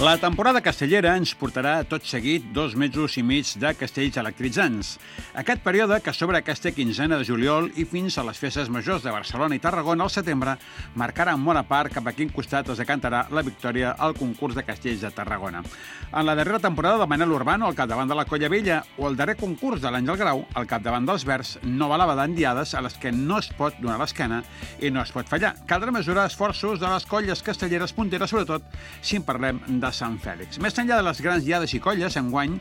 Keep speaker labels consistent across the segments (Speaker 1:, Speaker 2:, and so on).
Speaker 1: La temporada castellera ens portarà tot seguit 2 mesos i mig de castells electritzants. Aquest període, que s'obre aquesta quinzena de juliol i fins a les festes majors de Barcelona i Tarragona al setembre, marcarà en bona part cap a quin costat es decantarà la victòria al concurs de castells de Tarragona. En la darrera temporada de Manel Urbano al capdavant de la Colla Vella o el darrer concurs de l'Àngel Grau al capdavant dels Verds no valava d'endiades a les que no es pot donar l'esquena i no es pot fallar. Caldrà mesurar esforços de les colles castelleres punteres, sobretot si en parlem de Sant Fèlix. Més enllà de les grans diades i colles, enguany,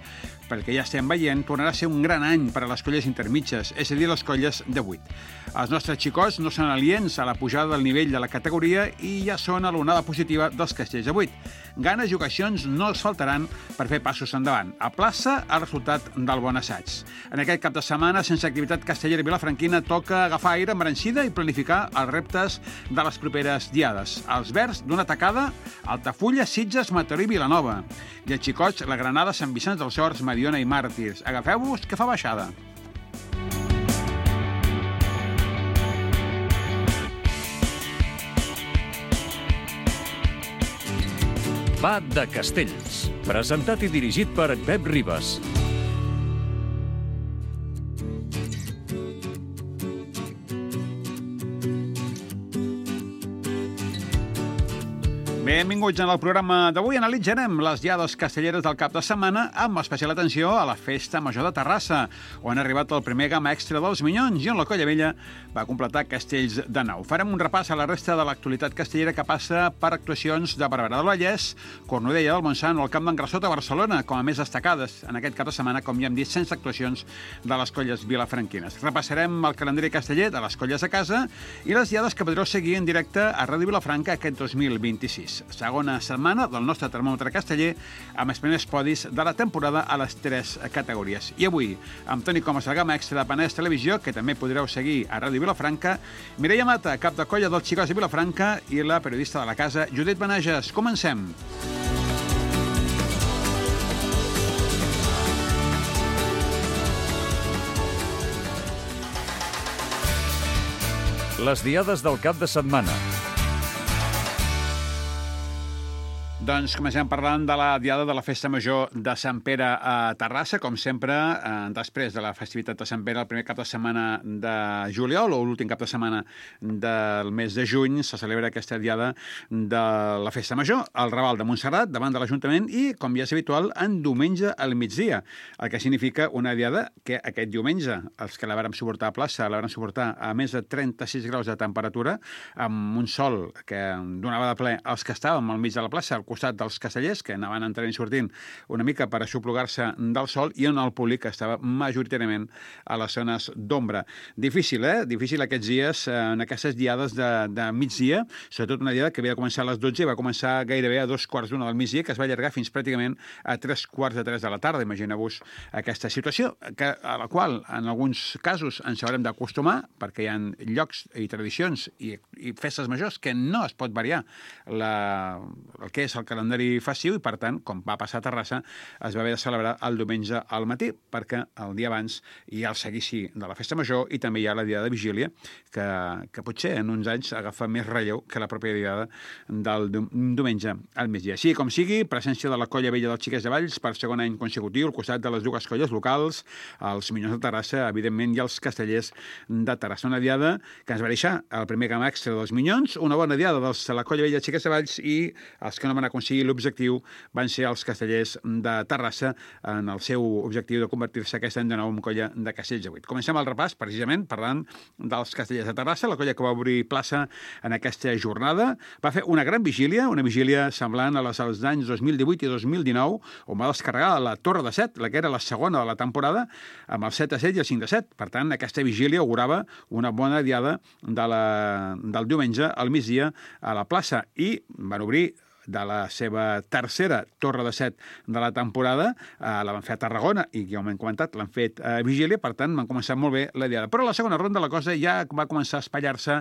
Speaker 1: pel que ja estem veient, tornarà a ser un gran any per a les colles intermitges, és a dir, les colles de 8. Els nostres xicots no són aliens a la pujada del nivell de la categoria i ja són a l'onada positiva dels castells de 8. Ganes i ocasions no els faltaran per fer passos endavant. A plaça, el resultat del bon assaig. En aquest cap de setmana, sense activitat castellera vilafranquina, toca agafar aire embranxida i planificar els reptes de les properes diades. Els Verds, d'una tacada, Altafulla, Sitges, Mataró i Vilanova. I els xicots, la Granada, Sant Vicenç dels Horts, Mediona i Màrtirs. Agafeu-vos, que fa baixada.
Speaker 2: Va de Castells, presentat i dirigit per Pep Ribas.
Speaker 1: Benvinguts en el programa d'avui. Analitzarem les diades castelleres del cap de setmana amb especial atenció a la Festa Major de Terrassa, on ha arribat el primer gamma extra dels Minyons i on la Colla Vella va completar castells de nou. Farem un repàs a la resta de l'actualitat castellera que passa per actuacions de Barberà del Vallès, Cornudella del Montsant o el Camp d'en Grassot a Barcelona, com a més destacades en aquest cap de setmana, com ja hem dit, sense actuacions de les colles vilafranquines. Repassarem el calendari casteller de les colles a casa i les diades que podreu seguir en directe a Ràdio Vilafranca aquest 2026. Segona setmana del nostre termòmetre casteller amb els primers podis de la temporada a les 3 categories. I avui, amb Toni Comas, el gamma extra de Penedès Televisió, que també podreu seguir a Ràdio Vilafranca, Mireia Mata, cap de colla dels xicots de Vilafranca, i la periodista de la casa, Judit Benages. Comencem!
Speaker 2: Les diades del cap de setmana.
Speaker 1: Doncs comencem parlant de la diada de la Festa Major de Sant Pere a Terrassa, com sempre, després de la festivitat de Sant Pere, el primer cap de setmana de juliol o l'últim cap de setmana del mes de juny, se celebra aquesta diada de la Festa Major, al Raval de Montserrat, davant de l'Ajuntament, i, com ja és habitual, en diumenge al migdia, el que significa una diada que aquest diumenge, els que la vàrem suportar a plaça, la vàrem suportar a més de 36 graus de temperatura, amb un sol que donava de ple als que estàvem al mig de la plaça, al costat dels castellers, que anaven entrant i sortint una mica per aixoplugar-se del sol, i on el públic estava majoritàriament a les zones d'ombra. Difícil, Difícil aquests dies, en aquestes diades de migdia, sobretot una diada que havia de començar a les 12 i va començar gairebé a 2:45 del migdia, que es va allargar fins pràcticament a 3:45 de la tarda. Imagineu-vos aquesta situació, a la qual en alguns casos ens haurem d'acostumar, perquè hi ha llocs i tradicions i festes majors que no es pot variar el que és el calendari festiu i, per tant, com va passar a Terrassa, es va haver de celebrar el diumenge al matí, perquè el dia abans hi ha el seguici de la Festa Major i també hi ha la diada de Vigília, que potser en uns anys agafa més relleu que la pròpia diada del diumenge al migdia. Així com sigui, presència de la Colla Vella dels Xiquets de Valls per segon any consecutiu, al costat de les dues colles locals, els Minyons de Terrassa, evidentment, i els Castellers de Terrassa. Una diada que ens va deixar el primer gamma extra dels Minyons, una bona diada de la Colla Vella dels Xiquets de Valls, i els que no van aconseguir l'objectiu van ser els Castellers de Terrassa en el seu objectiu de convertir-se aquest any de nou en colla de castells de 8. Comencem el repàs, precisament, parlant dels Castellers de Terrassa, la colla que va obrir plaça en aquesta jornada. Va fer una gran vigília, una vigília semblant a les dels anys 2018 i 2019, on va descarregar la Torre de 7, la que era la segona de la temporada, amb el 7-7 i el 5-7. Per tant, aquesta vigília augurava una bona diada del diumenge al migdia a la plaça, i van obrir de la seva tercera Torre de 7 de la temporada, la van fer a Tarragona i, com hem comentat, l'han fet a Vigília, per tant, van començar molt bé la diada. Però a la segona ronda la cosa ja va començar a espatllar-se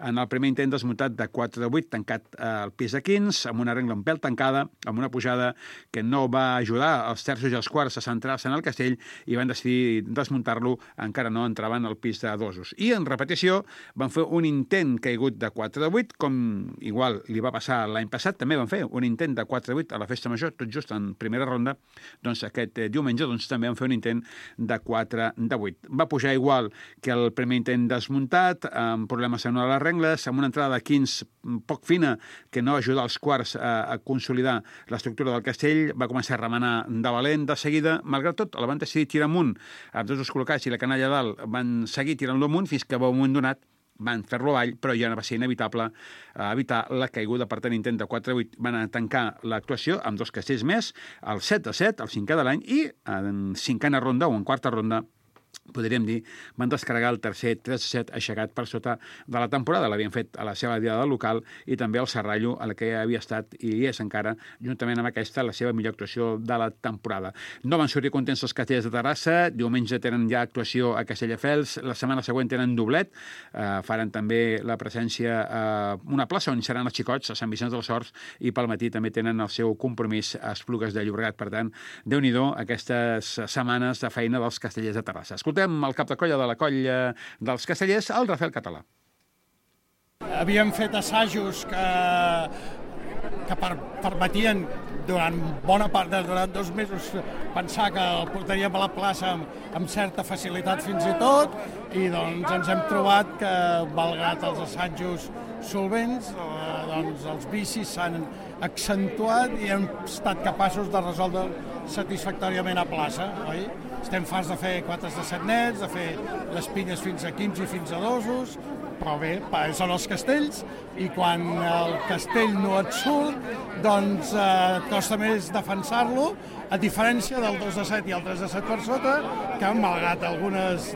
Speaker 1: en el primer intent desmuntat de 4 de 8, tancat al pis de 15, amb una regla un pèl tancada, amb una pujada que no va ajudar els terços i els quarts a centrar-se en el castell, i van decidir desmuntar-lo, encara no entraven al pis de dosos. I en repetició van fer un intent caigut de 4 de 8, com igual li va passar l'any passat, també van fer fer un intent de 4-8 a la Festa Major, tot just en primera ronda, doncs aquest diumenge també van fer un intent de 4-8. Va pujar igual que el primer intent desmuntat, amb problemes en una de les rengles, amb una entrada de 15 poc fina que no ajuda els quarts a consolidar l'estructura del castell, va començar a remenar de valent de seguida. Malgrat tot, el van decidir tirar amunt amb tots els col·locats i la canalla dalt van seguir tirant-lo amunt fins que a un moment donat van fer-lo avall, però ja va ser inevitable evitar la caiguda. Per tant, intent de 4-8 van tancar l'actuació amb 2 castells més, el 7-7, el 5è de l'any, i en 5a ronda o en 4a ronda podríem dir, van descarregar el tercer 3-7 aixecat per sota de la temporada. L'havien fet a la seva diada local i també al Serrallo, a la que havia estat i és encara, juntament amb aquesta, la seva millor actuació de la temporada. No van sortir contents els castellers de Terrassa, diumenge tenen ja actuació a Castelldefels, la setmana següent tenen doblet, faran també la presència a una plaça on seran els xicots, a Sant Vicenç dels Horts, i pel matí també tenen el seu compromís a Esplugues de Llobregat. Per tant, Déu-n'hi-do aquestes setmanes de feina dels castellers de Terrassa. Escoltem el cap de colla de la colla dels castellers, el Rafael Català.
Speaker 3: Havíem fet assajos que permetien durant bona part, durant 2 mesos, pensar que el portaríem a la plaça amb certa facilitat fins i tot, i doncs ens hem trobat que, malgrat els assajos solvents, doncs els vicis s'han accentuat i hem estat capaços de resoldre satisfactòriament a plaça, oi? Estem farts de fer 4 de 7 nets, de fer les pinyes fins a 15 i fins a 2, però bé, són els castells, i quan el castell no et surt, doncs et costa més defensar-lo, a diferència del 2 de 7 i el 3 de 7 per sota, que malgrat algunes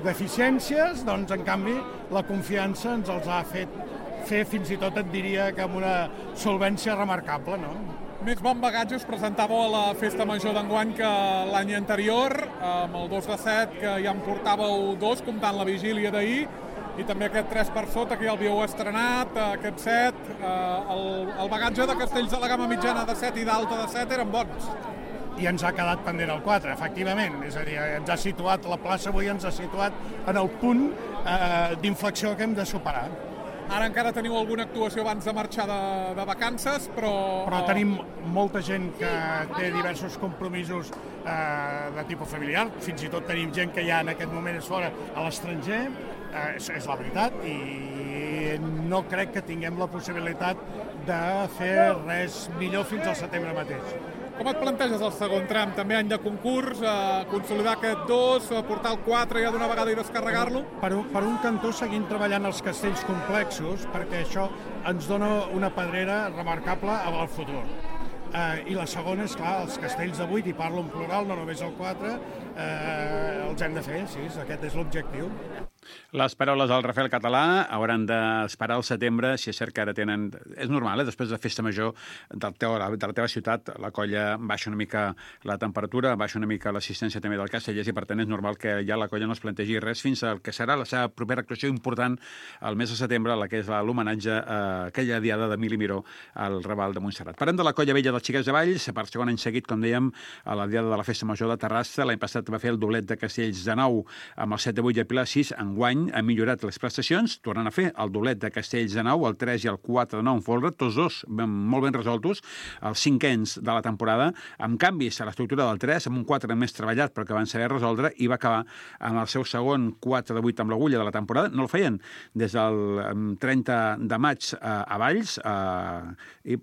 Speaker 3: deficiències, doncs en canvi la confiança ens els ha fet fer fins i tot, et diria, que amb una solvència remarcable, no?
Speaker 4: Més bon bagatge us presentàveu a la Festa Major d'enguany que l'any anterior, amb el 2 de 7, que ja en portàveu 2, comptant la vigília d'ahir, i també aquest 3 per sota, que ja el havíeu estrenat, aquest 7. El bagatge de castells de la gamma mitjana de 7 i d'alta de 7 eren bons.
Speaker 3: I ens ha quedat pendent el 4, efectivament. És a dir, ens ha situat, la plaça avui ens ha situat en el punt d'inflexió que hem de superar.
Speaker 4: Ara encara teniu alguna actuació abans de marxar de vacances,
Speaker 3: Però tenim molta gent que té diversos compromisos de tipus familiar, fins i tot tenim gent que ja en aquest moment és fora a l'estranger, és la veritat, i no crec que tinguem la possibilitat de fer res millor fins al setembre mateix.
Speaker 4: Com et planteges el segon tram? També any de concurs, consolidar aquest 2, portar el 4 ja d'una vegada i descarregar-lo?
Speaker 3: Per un cantó seguim treballant els castells complexos, perquè això ens dona una pedrera remarcable al futur. I la segona és, clar, els castells de 8, i parlo en plural, no només el 4, els hem de fer, sí, aquest és l'objectiu.
Speaker 1: Les paraules del Rafael Català hauran d'esperar al setembre, si és cert que ara tenen... És normal, després de Festa Major de la teva ciutat, la colla baixa una mica la temperatura, baixa una mica l'assistència també del castellers, i per tant és normal que ja la colla no es plantegi res fins al que serà la seva propera actuació important el mes de setembre, la que és l'homenatge a aquella diada d'Emili Miró al Raval de Montserrat. Parlem de la colla vella dels Xiquets de Valls, per segon any seguit, com dèiem, a la diada de la Festa Major de Terrassa. L'any passat va fer el doblet de castells de 9 amb el 7 de 8 i el Pilar 6. Enguany ha millorat les prestacions, tornant a fer el doblet de castells de 9, el 3 i el 4 de 9 en folre, tots dos molt ben resoltos, els cinquens de la temporada, amb canvis a l'estructura del 3, amb un 4 més treballat però que van saber resoldre, i va acabar amb el seu segon 4 de 8 amb l'agulla de la temporada. No el feien des del 30 de maig a Valls, i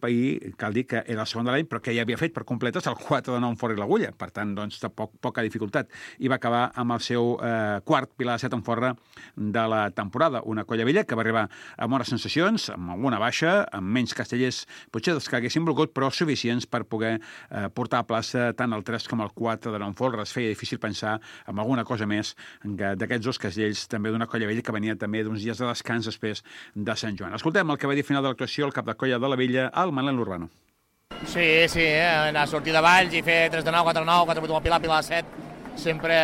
Speaker 1: cal dir que era el segon de l'any, però que ja havia fet per completes el 4 de 9 en folre i l'agulla, per tant, doncs, poca dificultat, i va acabar amb el seu quart Pilar de 7 en folre de la temporada. Una colla vella que va arribar amb bones sensacions, amb alguna baixa, amb menys castellers, potser dels que haguessin volgut, però suficients per poder portar a plaça tant el 3 com el 4 de 9 en folre. Es feia difícil pensar en alguna cosa més d'aquests dos castells, també d'una colla vella que venia també d'uns dies de descans després de Sant Joan. Escoltem el que va dir al final de l'actuació el cap de colla de la vella, el Manel Urbano.
Speaker 5: Sí, anar a sortir de Valls i fer 3 de 9, 4 de 9, 4 de 8 amb el Pilar, Pilar de 7, sempre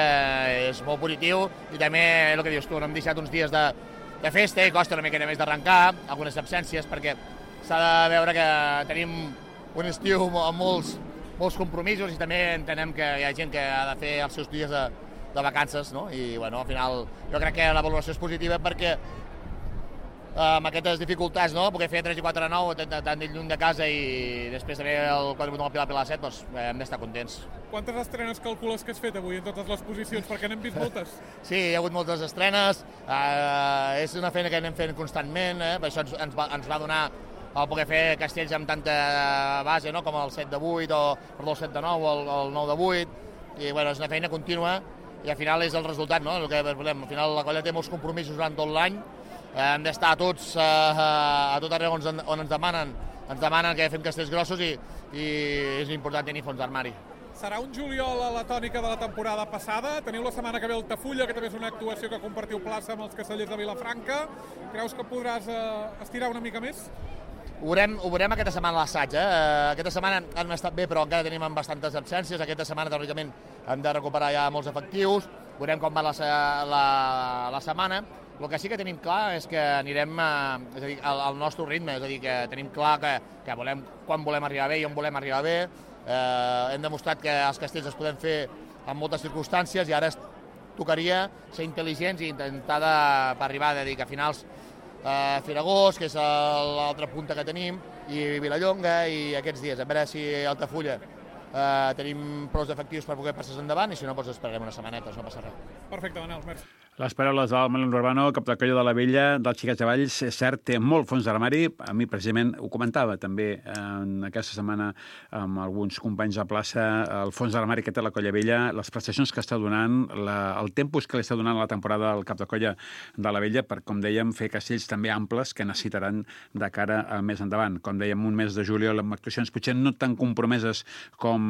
Speaker 5: és molt positiu, i també el que dius tu, no hem deixat uns dies de festa i costa una mica més d'arrencar, algunes absències, perquè s'ha de veure que tenim un estiu amb molts compromisos, i també entenem que hi ha gent que ha de fer els seus dies de vacances, no? I bueno, al final jo crec que la valoració és positiva, perquè amb aquestes dificultats, no? Perquè fer 3 i 4 de 9, tant lluny de casa i després també el 4 amb el Pilar 7, doncs hem d'estar contents.
Speaker 4: Quantes estrenes calcules que has fet avui en totes les posicions? Perquè n'hem vist moltes.
Speaker 5: Sí, hi ha hagut moltes estrenes, és una feina que anem fent constantment, per això ens va donar el poder fer castells amb tanta base, no? Com el 7 de 8, el 7 de 9 o el 9 de 8, i bueno, és una feina contínua i al final és el resultat, no? El que volem. Al final la colla té molts compromisos durant tot l'any, hem d'estar tots a tot arreu on ens demanen que fem castells grossos i és important tenir fons d'armari.
Speaker 4: Serà un juliol a la tònica de la temporada passada. Teniu la setmana que ve Altafulla, que també és una actuació que compartiu plaça amb els castellers de Vilafranca. Creus que podràs estirar una mica més?
Speaker 5: Ho veurem aquesta setmana a l'assaig. Aquesta setmana han estat bé, però encara tenim bastantes absències. Aquesta setmana, teòricament, hem de recuperar ja molts efectius. Veurem com va la setmana. El que sí que tenim clar és que anirem al nostre ritme, és a dir, que tenim clar que quan volem arribar bé i on volem arribar bé. Hem demostrat que els castells es poden fer en moltes circumstàncies i ara tocaria ser intel·ligents i intentar per arribar a finals Firagós, que és l'altra punta que tenim, i Vilallonga, i aquests dies, a veure si a Altafulla tenim prou efectius per poder passar endavant i si no, doncs esperarem una setmaneta, no passa res.
Speaker 4: Perfecte, Manel, merci.
Speaker 1: Les paraules del Manel Urbano, cap de colla de la Vella, dels Xiquets de Valls, és cert, té molt fons d'armari. A mi, precisament, ho comentava també en aquesta setmana amb alguns companys de plaça, el fons d'armari que té la colla Vella, les prestacions que està donant, el tempus que li està donant a la temporada al cap de colla de la Vella per, com dèiem, fer castells també amples que necessitaran de cara a més endavant. Com dèiem, un mes de juliol amb actuacions potser no tan compromeses com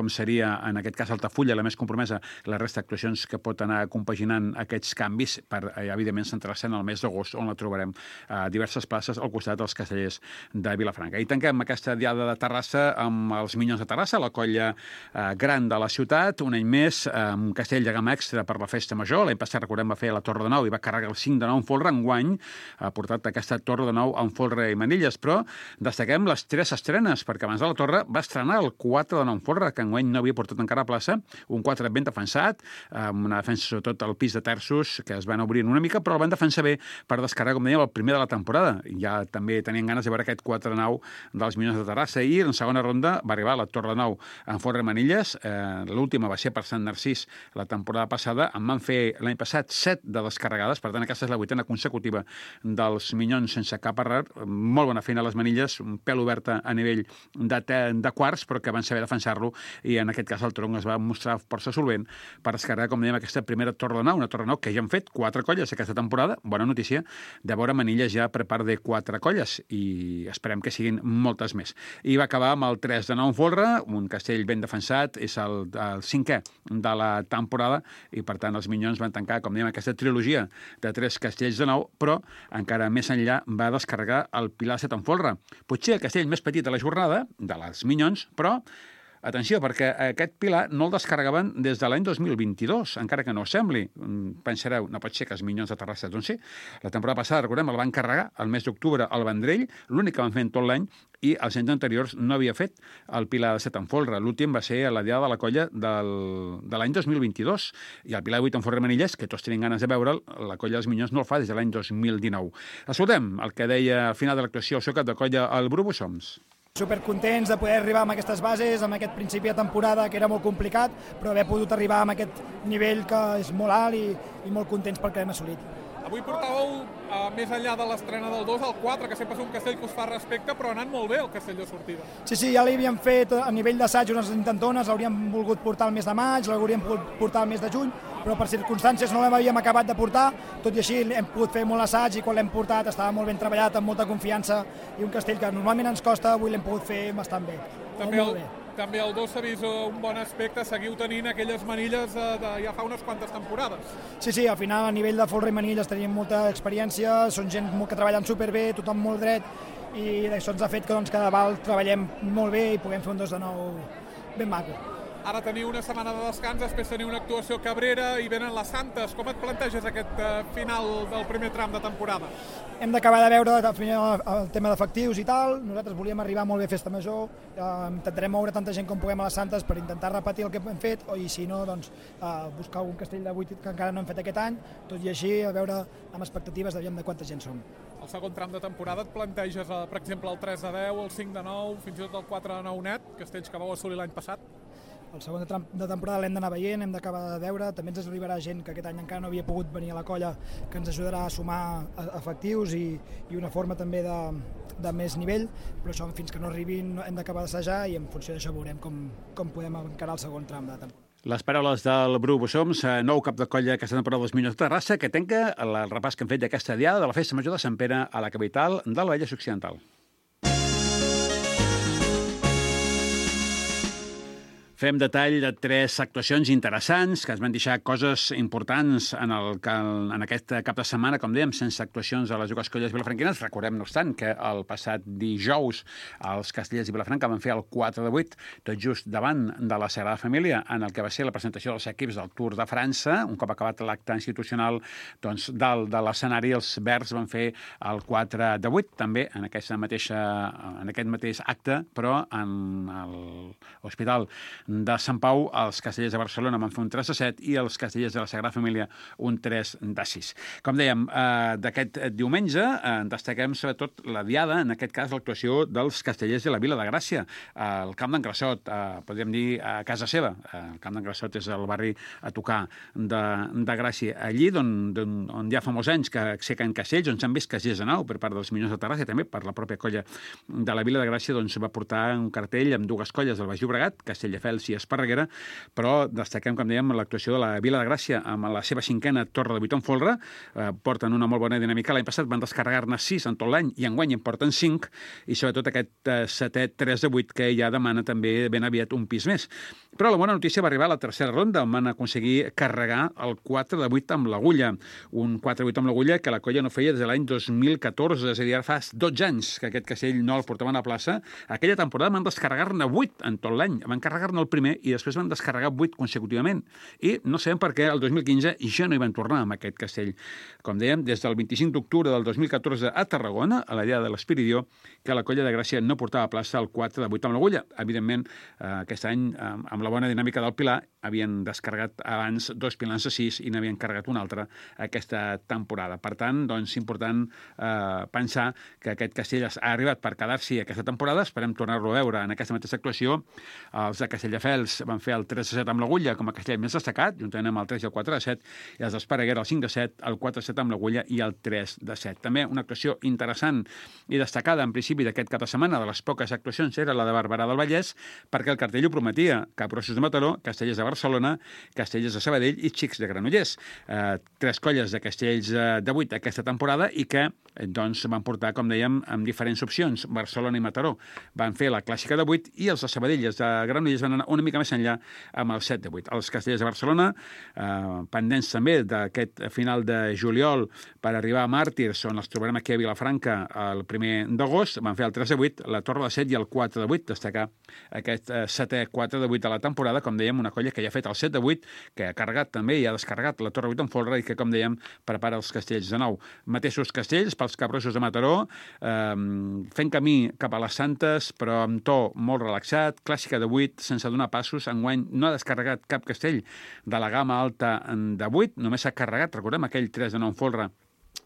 Speaker 1: seria, en aquest cas, Altafulla, la més compromesa, la resta d'actuacions que pot anar compaginant aquests canvis per, evidentment, centrar-se en el mes d'agost, on la trobarem a diverses places al costat dels castellers de Vilafranca. I tanquem aquesta diada de Terrassa amb els Minyons de Terrassa, la colla gran de la ciutat, un any més, un castell de gamma extra per la festa major. L'any passat, recordem, va fer la Torre de Nou i va carregar el 5 de 9 en folre. Enguany ha portat aquesta Torre de Nou en folre i manilles, però destaquem les 3 estrenes, perquè abans de la Torre va estrenar el 4 de 9 en folre, que enguany no havia portat encara a plaça, un 4 ben defensat, amb una defensa sobretot al pis de terços, que es van obrint una mica, però el van defensar bé per descarregar, com dèiem, el primer de la temporada. Ja també tenien ganes de veure aquest 4-9 dels Minyons de Terrassa, i en segona ronda va arribar la Torre de Nou en folre i manilles. L'última va ser per Sant Narcís la temporada passada. En van fer l'any passat 7 de descarregades, per tant aquesta és la 8a consecutiva dels Minyons sense cap error. Molt bona feina a les manilles, un pèl oberta a nivell de quarts, però que van saber defensar-lo, i en aquest cas el tronc es va mostrar força solvent per descarregar, com dèiem, aquesta primera Torre de Nou, una Torre de Nou que ja han fet 4 colles aquesta temporada. Bona notícia de veure manilles ja per part de 4 colles, i esperem que siguin moltes més. I va acabar amb el 3 de 9 en folre, un castell ben defensat, és el 5è de la temporada, i per tant els Minyons van tancar, com dèiem, aquesta trilogia de 3 castells de 9, però encara més enllà va descarregar el Pilar 7 en folre. Potser el castell més petit de la jornada, de les Minyons, però atenció, perquè aquest Pilar no el descarregaven des de l'any 2022, encara que no ho sembli. Pensareu, no pot ser que els Minyons de Terrassa, doncs sí. La temporada passada, recordem, el van carregar el mes d'octubre al Vendrell, l'únic que van fer en tot l'any, i els anys anteriors no havia fet el Pilar 7 en folre. L'últim va ser a la diada de la colla de l'any 2022, i el Pilar 8 en folre manilles, que tots tenim ganes de veure'l, la colla dels Minyons no el fa des de l'any 2019. Escoltem el que deia al final de l'actuació el seu cap de colla, el Bru Bussoms.
Speaker 6: Supercontents de poder arribar amb aquestes bases, amb aquest principi de temporada que era molt complicat, però haver pogut arribar amb aquest nivell que és molt alt i molt contents pel que hem assolit.
Speaker 4: Avui portàveu, més enllà de l'estrena del 2, el 4, que sempre és un castell que us fa respecte, però ha anat molt bé el castell de sortida.
Speaker 6: Sí, ja l'havíem fet a nivell d'assaig unes intentones, l'hauríem volgut portar el mes de maig, l'hauríem pogut portar el mes de juny, però per circumstàncies no l'havíem acabat de portar, tot i així hem pogut fer molt assaig, i quan l'hem portat estava molt ben treballat, amb molta confiança, i un castell que normalment ens costa, avui l'hem pogut fer bastant bé.
Speaker 4: També el 2 s'ha vist un bon aspecte, seguiu tenint aquelles manilles de ja fa unes quantes temporades.
Speaker 6: Sí, al final a nivell de folre i manilles tenim molta experiència, són gent que treballen superbé, tothom molt dret, i això ens ha fet que cada val treballem molt bé i puguem fer un 2 de 9 ben maco.
Speaker 4: Ara teniu una setmana de descans, després teniu una actuació a Cabrera i venen les Santes. Com et planteges aquest final del primer tram de temporada?
Speaker 6: Hem d'acabar de veure el tema d'efectius i tal. Nosaltres volíem arribar molt bé a Festa Major. Intentarem moure tanta gent com puguem a les Santes per intentar repetir el que hem fet, i si no, doncs, buscar algun castell de 8 que encara no hem fet aquest any, tot i així, a veure amb expectatives de quanta gent som.
Speaker 4: El segon tram de temporada et planteges, per exemple, el 3 de 10, el 5 de 9, fins i tot el 4 de 9 net, castells que vau assolir l'any passat?
Speaker 6: El segon tram de temporada l'hem d'anar veient, hem d'acabar de veure, també ens arribarà gent que aquest any encara no havia pogut venir a la colla, que ens ajudarà a sumar efectius i una forma també de més nivell, però això fins que no arribin hem d'acabar d'assajar i en funció d'això veurem com podem encarar el segon tram de temporada.
Speaker 1: Les paraules del Bru Bussoms, nou cap de colla aquesta temporada dels Minyons de Terrassa, que tanca el repàs que hem fet d'aquesta diada de la Festa Major de Sant Pere a la capital del Vallès Occidental. Fem detall de 3 actuacions interessants que ens van deixar coses importants en aquest cap de setmana, com dèiem, sense actuacions a les dues colles vilafranquines. Recordem, no obstant, que el passat dijous els Castellers i Vilafranca van fer el 4 de 8, tot just davant de la Sagrada Família, en el que va ser la presentació dels equips del Tour de França. Un cop acabat l'acte institucional, doncs, dalt de l'escenari, els verds van fer el 4 de 8, també en aquest mateix acte, però en l'Hospital de Sant Pau, els Castellers de Barcelona van fer un 3 de 7 i els Castellers de la Sagrada Família un 3 de 6. Com dèiem, d'aquest diumenge destaquem sobretot la diada, en aquest cas l'actuació dels Castellers de la Vila de Gràcia, al Camp d'en Grassot, podríem dir a casa seva. El Camp d'en Grassot és el barri a tocar de Gràcia. Allí on hi ha fa molts anys que aixequen castells, on s'han vist castells de nau per part dels Minyons de Terrassa i també per la pròpia colla de la Vila de Gràcia, doncs va portar un cartell amb dues colles del Baix Llobregat, Castelldefels i Esparreguera, però destaquem, com dèiem, l'actuació de la Vila de Gràcia amb la seva 5a torre de 8 en folre. Porten una molt bona dinàmica. L'any passat van descarregar-ne 6 en tot l'any i enguany en porten 5, i sobretot aquest 7è 3 de 8 que ja demana també ben aviat un pis més. Però la bona notícia va arribar a la tercera ronda, on van aconseguir carregar el 4 de 8 amb l'Agulla. Un 4 de 8 amb l'Agulla que la colla no feia des de l'any 2014, és a dir, ara fa 12 anys que aquest castell no el portaven a plaça. Aquella temporada van descarregar-ne 8 en tot l'any. Van carregar-ne el primer i després van descarregar 8 consecutivament. I no sabem per què el 2015 ja no hi van tornar amb aquest castell. Com dèiem, des del 25 d'octubre del 2014 a Tarragona, a la dia de l'Espiridió, que la colla de Gràcia no portava a plaça el 4 de 8 amb l'Agulla. Evidentment, aquest any, amb la bona dinàmica del Pilar, havien descarregat abans 2 pilars de 6 i n'havien carregat un altre aquesta temporada. Per tant, doncs, important pensar que aquest castell ha arribat per quedar-s'hi aquesta temporada. Esperem tornar-lo a veure en aquesta mateixa actuació. Els de Castelldefels van fer el 3 de 7 amb l'Agulla com a castell més destacat, juntament amb el 3 i el 4 de 7, i els d'Esparreguera el 5 de 7, el 4 de 7 amb l'Agulla i el 3 de 7. També una actuació interessant i destacada en principi d'aquest cap de setmana, de les poques actuacions, era la de Barberà del Vallès, perquè el cartell ho prometia: Capgrossos de Mataró, Castellers de Barcelona, Castellers de Sabadell i Xics de Granollers. 3 colles de castells de 8 aquesta temporada i que doncs, van portar, com dèiem, amb diferents opcions. Barcelona i Mataró van fer la clàssica de 8 i els de Sabadell i els de Granollers van anar una mica més enllà amb el 7 de 8. Els Castellers de Barcelona, pendents també d'aquest final de juliol per arribar a Màrtirs, on els trobarem aquí a Vilafranca el 1 d'agost, van fer el 3 de 8, la torre de 7 i el 4 de 8, destacar aquest 7è 4 de 8 de la temporada, com dèiem, una colla que ja ha fet el 7 de 8, que ha carregat també i ha descarregat la torre 8 en folre i que, com dèiem, prepara els castells de nou. Mateixos castells pels Capgrossos de Mataró, fent camí cap a les Santes, però amb to molt relaxat, clàssica de 8, sense donar passos. Enguany no ha descarregat cap castell de la gamma alta de 8, només s'ha carregat, recordem, aquell 3 de 9 en folre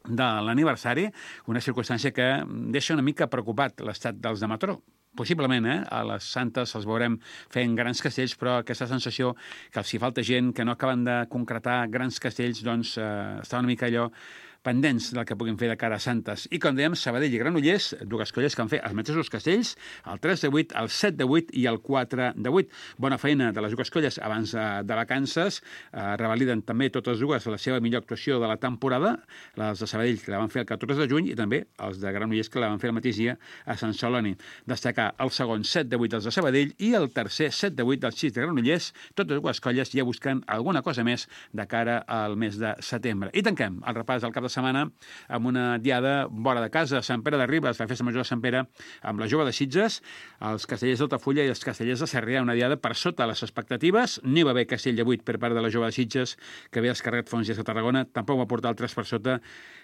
Speaker 1: de l'aniversari, una circumstància que deixa una mica preocupat l'estat dels de Mataró. Possiblement, a les Santes els veurem fent grans castells, però aquesta sensació que els hi falta gent, que no acaben de concretar grans castells, doncs està una mica allò pendents del que puguin fer de cara a Santes. I com dèiem, Sabadell i Granollers, dues colles que han fet els mateixos castells, el 3 de 8, el 7 de 8 i el 4 de 8. Bona feina de les dues colles abans de vacances. Revaliden també totes dues la seva millor actuació de la temporada, les de Sabadell, que la van fer el 14 de juny, i també els de Granollers, que la van fer el mateix dia a Sant Celoni. Destacar el segon 7 de 8 dels de Sabadell i el tercer 7 de 8 dels Xics de Granollers, totes dues colles ja buscant alguna cosa més de cara al mes de setembre. I tanquem el repàs del cap de de setmana amb una diada vora de casa. Sant Pere de Ribes, la festa major de Sant Pere, amb la Jove de Sitges, els castellers d'Altafulla i els castellers de Sarrià, una diada per sota les expectatives. N'hi va haver castell de 8 per part de la Jove de Sitges, que havia descarregat fa uns dies a Tarragona, tampoc va portar el 3 per sota,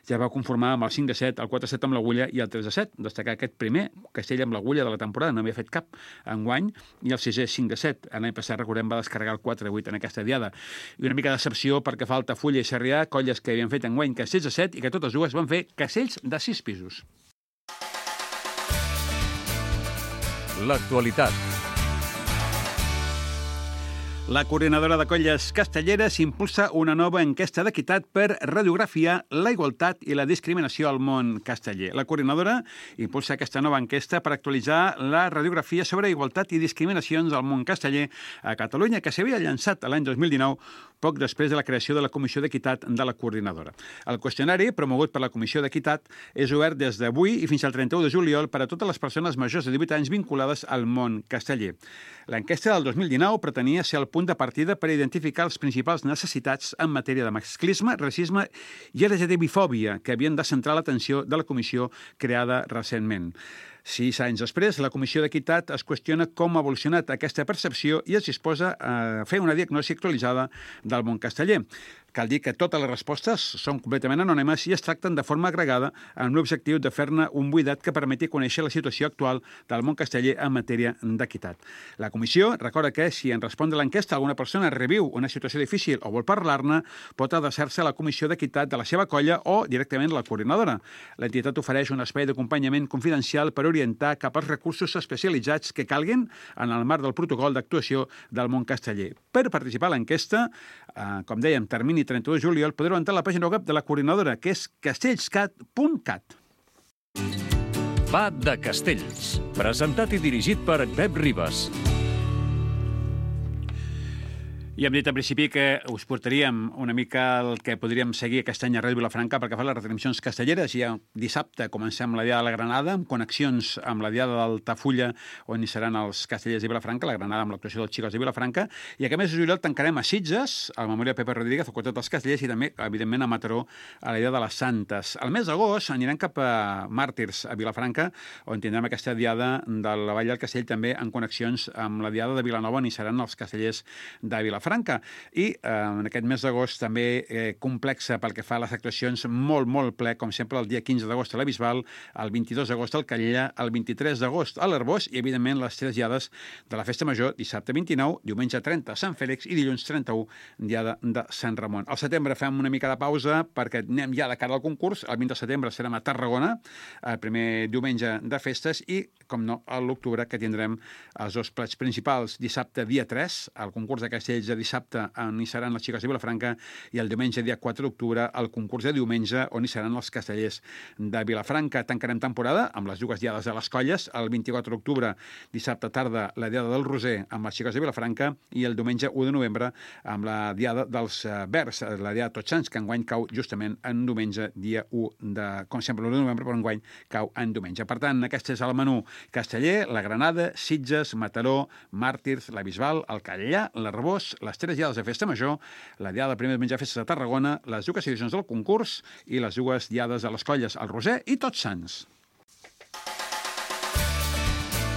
Speaker 1: ja va conformar amb el 5 de 7, el 4 de 7 amb l'agulla i el 3 de 7. Destacar aquest primer castell amb l'agulla de la temporada, no havia fet cap enguany, i el 6è 5 de 7. L'any passat, recordem, va descarregar el 4 de 8 en aquesta diada. I una mica de decepció perquè fa Altafulla i Sarrià, colles que havien fet enguany castells de 7 i que totes dues van fer castells de 6 pisos.
Speaker 2: L'actualitat.
Speaker 1: La coordinadora de colles castelleres impulsa una nova enquesta d'equitat per radiografiar la igualtat i la discriminació al món casteller. La coordinadora impulsa aquesta nova enquesta per actualitzar la radiografia sobre igualtat i discriminacions al món casteller a Catalunya, que s'havia llançat l'any 2019, poc després de la creació de la Comissió d'Equitat de la coordinadora. El qüestionari, promogut per la Comissió d'Equitat, és obert des d'avui i fins al 31 de juliol per a totes les persones majors de 18 anys vinculades al món casteller. L'enquesta del 2019 pretenia ser el punt de partida per identificar les principals necessitats en matèria de masclisme, racisme i LGTBifòbia que havien de centrar l'atenció de la comissió creada recentment. 6 anys després, la Comissió d'Equitat es qüestiona com ha evolucionat aquesta percepció i es disposa a fer una diagnosi actualitzada del món casteller. Cal dir que totes les respostes són completament anònimes i es tracten de forma agregada amb l'objectiu de fer-ne un buidat que permeti conèixer la situació actual del món casteller en matèria d'equitat. La comissió recorda que si en respondre a l'enquesta alguna persona reviu una situació difícil o vol parlar-ne, pot adreçar-se a la Comissió d'Equitat de la seva colla o directament a la coordinadora. L'entitat ofereix un espai d'acompanyament confidencial per orientar cap als recursos especialitzats que calguin en el marc del protocol d'actuació del món casteller. Per participar a l'enquesta, com dèiem, termini 31 de juliol, podreu entrar a la pàgina web de la coordinadora, que és castellscat.cat.
Speaker 2: Va de Castells, presentat i dirigit per Pep Ribes.
Speaker 1: I hem dit al principi que us portaríem una mica el que podríem seguir aquest any a Ràdio Vilafranca perquè fa les retransmissions castelleres. Ja dissabte comencem la Diada de la Granada, amb connexions amb la Diada d'Altafulla, on hi seran els castellers de Vilafranca, la Granada amb l'actuació dels Xicots de Vilafranca, i aquest mes de juliol tancarem a Sitges, al Memorial Pepe Rodríguez, al costat dels castellers, i també, evidentment, a Mataró, a la Diada de les Santes. Al mes d'agost anirem cap a Màrtirs, a Vilafranca, on tindrem aquesta Diada de la Vall del Castell, també en connexions amb la Diada de Vilanova, on hi seran els castellers de Vilafranca. I en aquest mes d'agost també complexa pel que fa a les actuacions, molt ple, com sempre, el dia 15 d'agost a la Bisbal, el 22 d'agost al Calella, el 23 d'agost a l'Arbós i, evidentment, les 3 diades de la Festa Major, dissabte 29, diumenge 30 a Sant Fèlix i dilluns 31, diada de Sant Ramon. Al setembre fem una mica de pausa perquè anem ja de cara al concurs. El 20 de setembre serem a Tarragona, el primer diumenge de festes i, com no, a l'octubre, que tindrem els 2 plats principals. Dissabte, dia 3, el concurs de castells de dissabte, on hi seran les Xiques de Vilafranca, i el diumenge, dia 4 d'octubre, el concurs de diumenge, on hi seran els castellers de Vilafranca. Tancarem temporada amb les 2 diades de les colles, el 24 d'octubre, dissabte tarda, la diada del Roser amb les Xiques de Vilafranca, i el diumenge 1 de novembre amb la diada dels Verds, la diada de Tots Sants, que enguany cau justament en diumenge, dia 1 de... Com sempre, l'1 de novembre, però enguany cau en diumenge. Per tant, aquest és el menú casteller: la Granada, Sitges, Mataró, Màrtirs, la Bisbal, el Calellà, l'Arbós, les 3 diades de Festa Major, la diada del primer diumenge de festes de Tarragona, les 2 edicions del concurs i les 2 diades de les colles, el Roser i Tots Sants.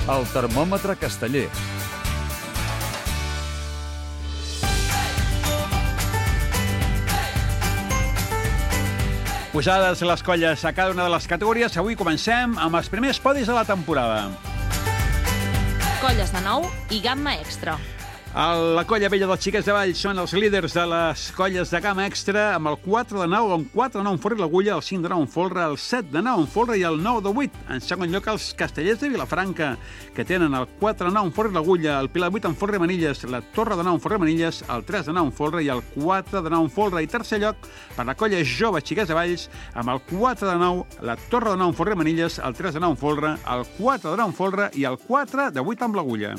Speaker 2: El termòmetre casteller.
Speaker 1: Posades les colles a cada una de les categories, avui comencem amb els primers podis de la temporada.
Speaker 7: Colles de nou i gamma extra.
Speaker 1: La colla vella dels Xiquets de Valls són els líders de les colles de gamma extra amb el 4 de 9, amb 4 de 9 en forra i l'agulla, el 5 de 9 en folre, el 7 de 9 en folre i el 9 de 8. En segon lloc, els castellers de Vilafranca, que tenen el 4 de 9 en forra i l'agulla, el pilar 8 en folre i manilles, la torre de 9 en forra i manilles, el 3 de 9 en folre i el 4 de 9 en folre. I tercer lloc, per la colla jove Xiquets de Valls, amb el 4 de 9, la torre de 9 en forra i manilles, el 3 de 9 en folre, el 4 de 9 en folre i el 4 de 8 amb l'agulla.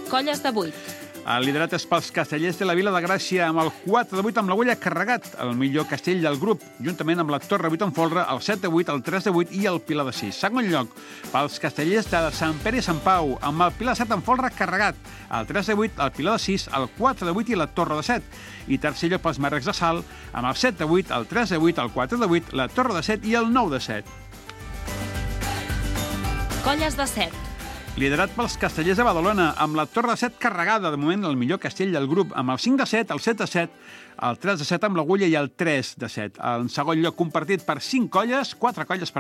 Speaker 7: Colles de 8.
Speaker 1: El liderat és pels castellers de la Vila de Gràcia amb el 4-8 amb l'agulla carregat, el millor castell del grup, juntament amb la Torre 8 en folre, el 7-8, el 3-8 i el Pilar de 6. Segon lloc, pels castellers de Sant Pere i Sant Pau, amb el Pilar 7 en folre carregat, el 3-8, el Pilar de 6, el 4-8 i la Torre de 7. I tercer lloc pels Marrecs de Salt, amb el 7-8, el 3-8, el 4-8, la Torre de 7 i el 9-7.
Speaker 7: Colles de 7.
Speaker 1: Liderat pels castellers de Badalona, amb la Torre de 7 carregada, de moment el millor castell del grup, amb el 5-7, el 7-7, el 3-7 amb l'agulla i el 3-7. En segon lloc, compartit per 4 colles,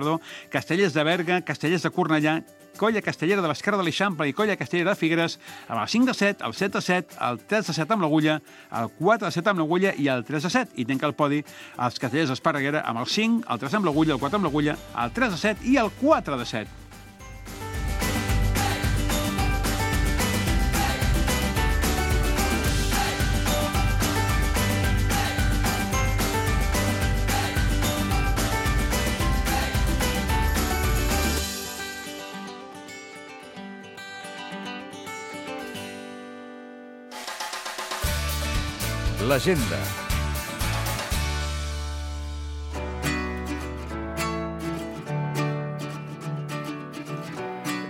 Speaker 1: castellers de Berga, castellers de Cornellà, colla castellera de l'Esquerra de l'Eixample i colla castellera de Figueres, amb el 5-7, el 7-7, el 3-7 amb l'agulla, el 4-7 amb l'agulla i el 3-7. I tanca el podi els castellers d'Esparreguera amb el 5, el 3 amb l'agulla, el 4 amb l'agulla, el 3-7 i el 4-7.
Speaker 2: L'agenda.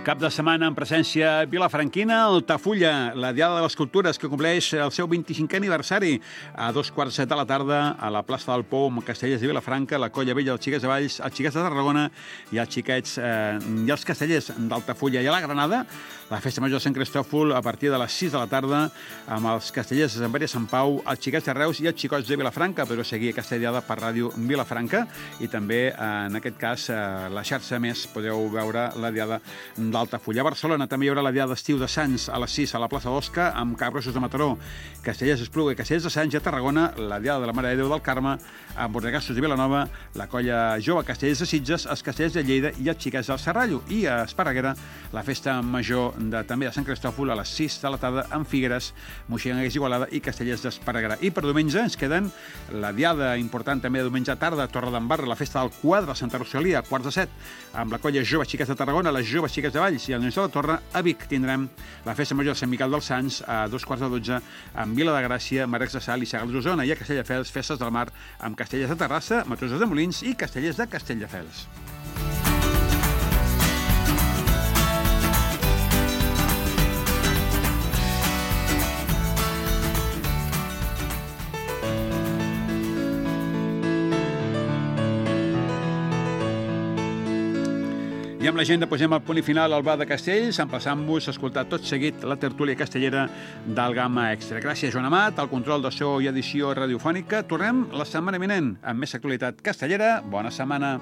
Speaker 1: Cap de setmana en presència vilafranquina, Altafulla, la Diada de les Cultures, que compleix el seu 25è aniversari a 2:15 de la tarda a la plaça del Pou, amb Castellers de Vilafranca, la Colla Vella, els Xiquets de Valls, els Xiquets de Tarragona i els Xiquets i els Castellers d'Altafulla. I a la Granada, la Festa Major de Sant Cristòfol a partir de les 6 de la tarda amb els Castellers de Sant Pere i Sant Pau, els Xiquets de Reus i els Xicots de Vilafranca, però seguir aquesta diada per Ràdio Vilafranca i també, en aquest cas, la xarxa més podeu veure la diada d'Altafulla. A Barcelona també hi haurà la diada d'estiu de Sants a les 6 a la plaça d'Osca amb Cabrosos de Mataró, Castellers d'Espluga i Castellers de Sants. I a Tarragona, la diada de la Mare de Déu del Carme amb Bordegassos de Vilanova, la colla jove Castellers de Sitges, els Castellers de Lleida i els Xiquets del Serrallo. I a Esparreguera, la Festa Major també de Sant Cristòfol a les 6 de la tarda amb Figueres, Moixiganga i Igualada i Castellers d'Esparreguera. I per diumenge ens queden la diada important també de diumenge a tarda a Torredembarra, la Festa del Quadre a Santa Rosalia a 6:45 amb la colla jove Xiquets de Tarragona, les joves Xiquets de Valls i el Nens de la Torre. A Vic tindrem la Festa Major de Sant Miquel dels Sants a 2:15 amb Vila de Gràcia, Marcs de Sal i Sagals d'Osona. I a Castelldefels, Festes del Mar amb Castellers de Terrassa, Matroses de Molins i Castellers de Castelldefels. I amb l'agenda posem el punt i final al Bar de Castells, emplaçant-vos a escoltar tot seguit la tertúlia castellera del Gamma Extra. Gràcies, Joan Amat, al control de so i edició radiofònica. Tornem la setmana vinent amb més actualitat castellera. Bona setmana.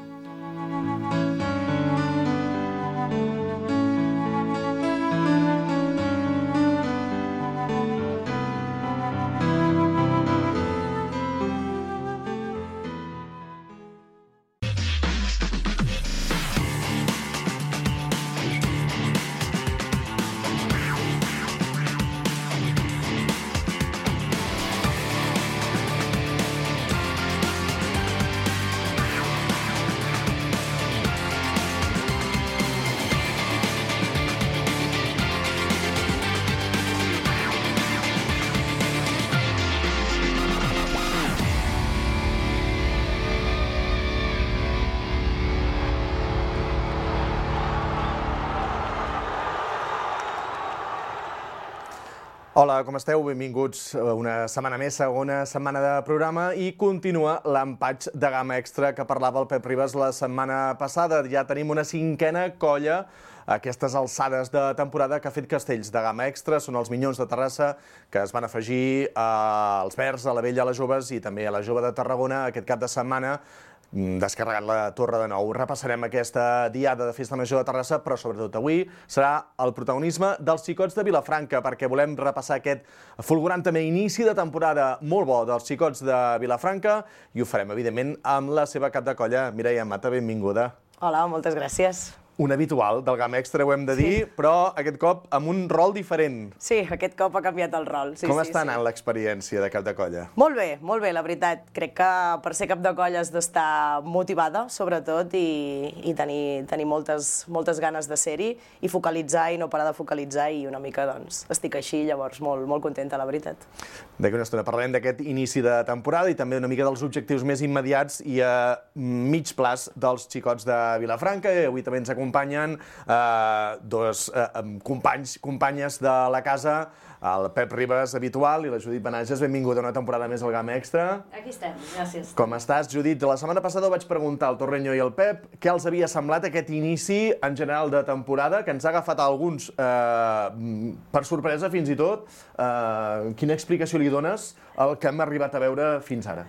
Speaker 8: Hola, com esteu? Benvinguts una setmana més, segona setmana de programa, i continua l'empatx de Gamma Extra que parlava el Pep Ribas la setmana passada. Ja tenim una 5a colla a aquestes alçades de temporada que ha fet castells de Gamma Extra. Són els Minyons de Terrassa, que es van afegir als Verds, a la Vella, a les Joves i també a la Jove de Tarragona aquest cap de setmana, descarregant la Torre de Nou. Repassarem aquesta diada de Festa Major de Terrassa, però sobretot avui serà el protagonisme dels Xicots de Vilafranca, perquè volem repassar aquest fulgurant també inici de temporada molt bo dels Xicots de Vilafranca, i ho farem, evidentment, amb la seva cap de colla, Mireia Mata. Benvinguda.
Speaker 9: Hola, moltes gràcies.
Speaker 8: Un habitual del GAM Extra, ho hem de dir, però aquest cop amb un rol diferent.
Speaker 9: Sí, aquest cop ha canviat el rol.
Speaker 8: Com està anant l'experiència de cap de colla?
Speaker 9: Molt bé, la veritat. Crec que per ser cap de colla has d'estar motivada, sobretot, i tenir moltes ganes de ser-hi, i focalitzar i no parar de focalitzar, i una mica, doncs, estic així, llavors molt contenta, la veritat.
Speaker 8: D'aquí una estona parlarem d'aquest inici de temporada i també una mica dels objectius més immediats i a mig plaç dels xicots de Vilafranca. Avui també ens acompanyen dos companyes de la casa, el Pep Ribas, habitual, i la Judit Benages. Benvinguda a una temporada més al GAM Extra.
Speaker 10: Aquí estem, gràcies.
Speaker 8: Com estàs, Judit? La setmana passada ho vaig preguntar al Torreño i al Pep què els havia semblat aquest inici en general de temporada, que ens ha agafat a alguns per sorpresa fins i tot. Quina explicació li dones al que hem arribat a veure fins ara?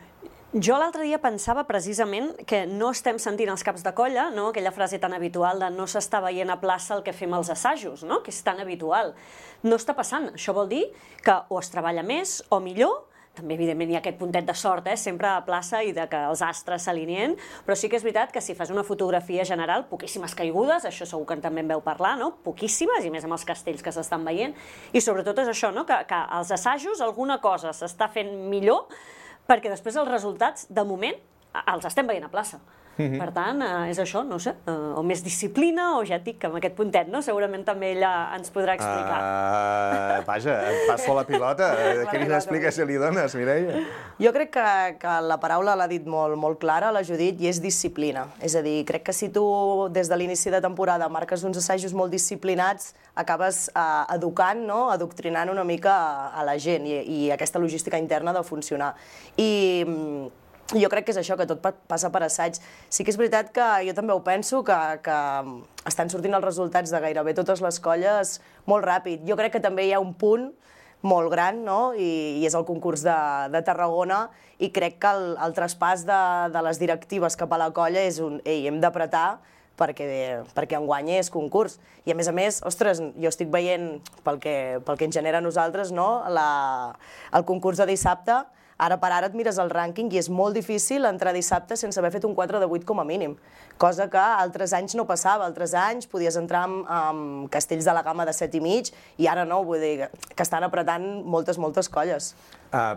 Speaker 10: Jo l'altre dia pensava precisament que no estem sentint els caps de colla, no? Aquella frase tan habitual de no s'està veient a plaça el que fem als assajos, no? Que és tan habitual. No està passant. Això vol dir que o es treballa més o millor. També, evidentment, hi ha aquest puntet de sort, sempre a plaça i de que els astres s'alineen, però sí que és veritat que si fas una fotografia general, poquíssimes caigudes, això segur que també en veu parlar, no? Poquíssimes, i més amb els castells que s'estan veient, i sobretot és això, no? Que als assajos alguna cosa s'està fent millor, perquè després els resultats, de moment, els estem veient a plaça. Per tant, és això, no sé, o més disciplina, o ja et dic que amb aquest puntet, no? Segurament també ella ens podrà explicar.
Speaker 8: Vaja, et passo la pilota. Quina explicació li dones, Mireia?
Speaker 9: Jo crec que la paraula l'ha dit molt clara, la Judit, i és disciplina. És a dir, crec que si tu des de l'inici de temporada marques uns assajos molt disciplinats, acabes educant, adoctrinant una mica a la gent i aquesta logística interna de funcionar. I jo crec que és això, que tot passa per assaig. Sí que és veritat que jo també ho penso, que estan sortint els resultats de gairebé totes les colles molt ràpid. Jo crec que també hi ha un punt molt gran, no? I és el concurs de Tarragona, i crec que el traspàs de les directives cap a la colla és un «ei, hem d'apretar», perquè enguany és concurs. I a més, ostres, jo estic veient, pel que ens genera a nosaltres, el concurs de dissabte. Ara per ara et mires el rànquing i és molt difícil entrar dissabte sense haver fet un 4 de 8 com a mínim, cosa que altres anys no passava. Altres anys podies entrar amb castells de la gamma de 7,5 i ara no, vull dir que estan apretant moltes colles.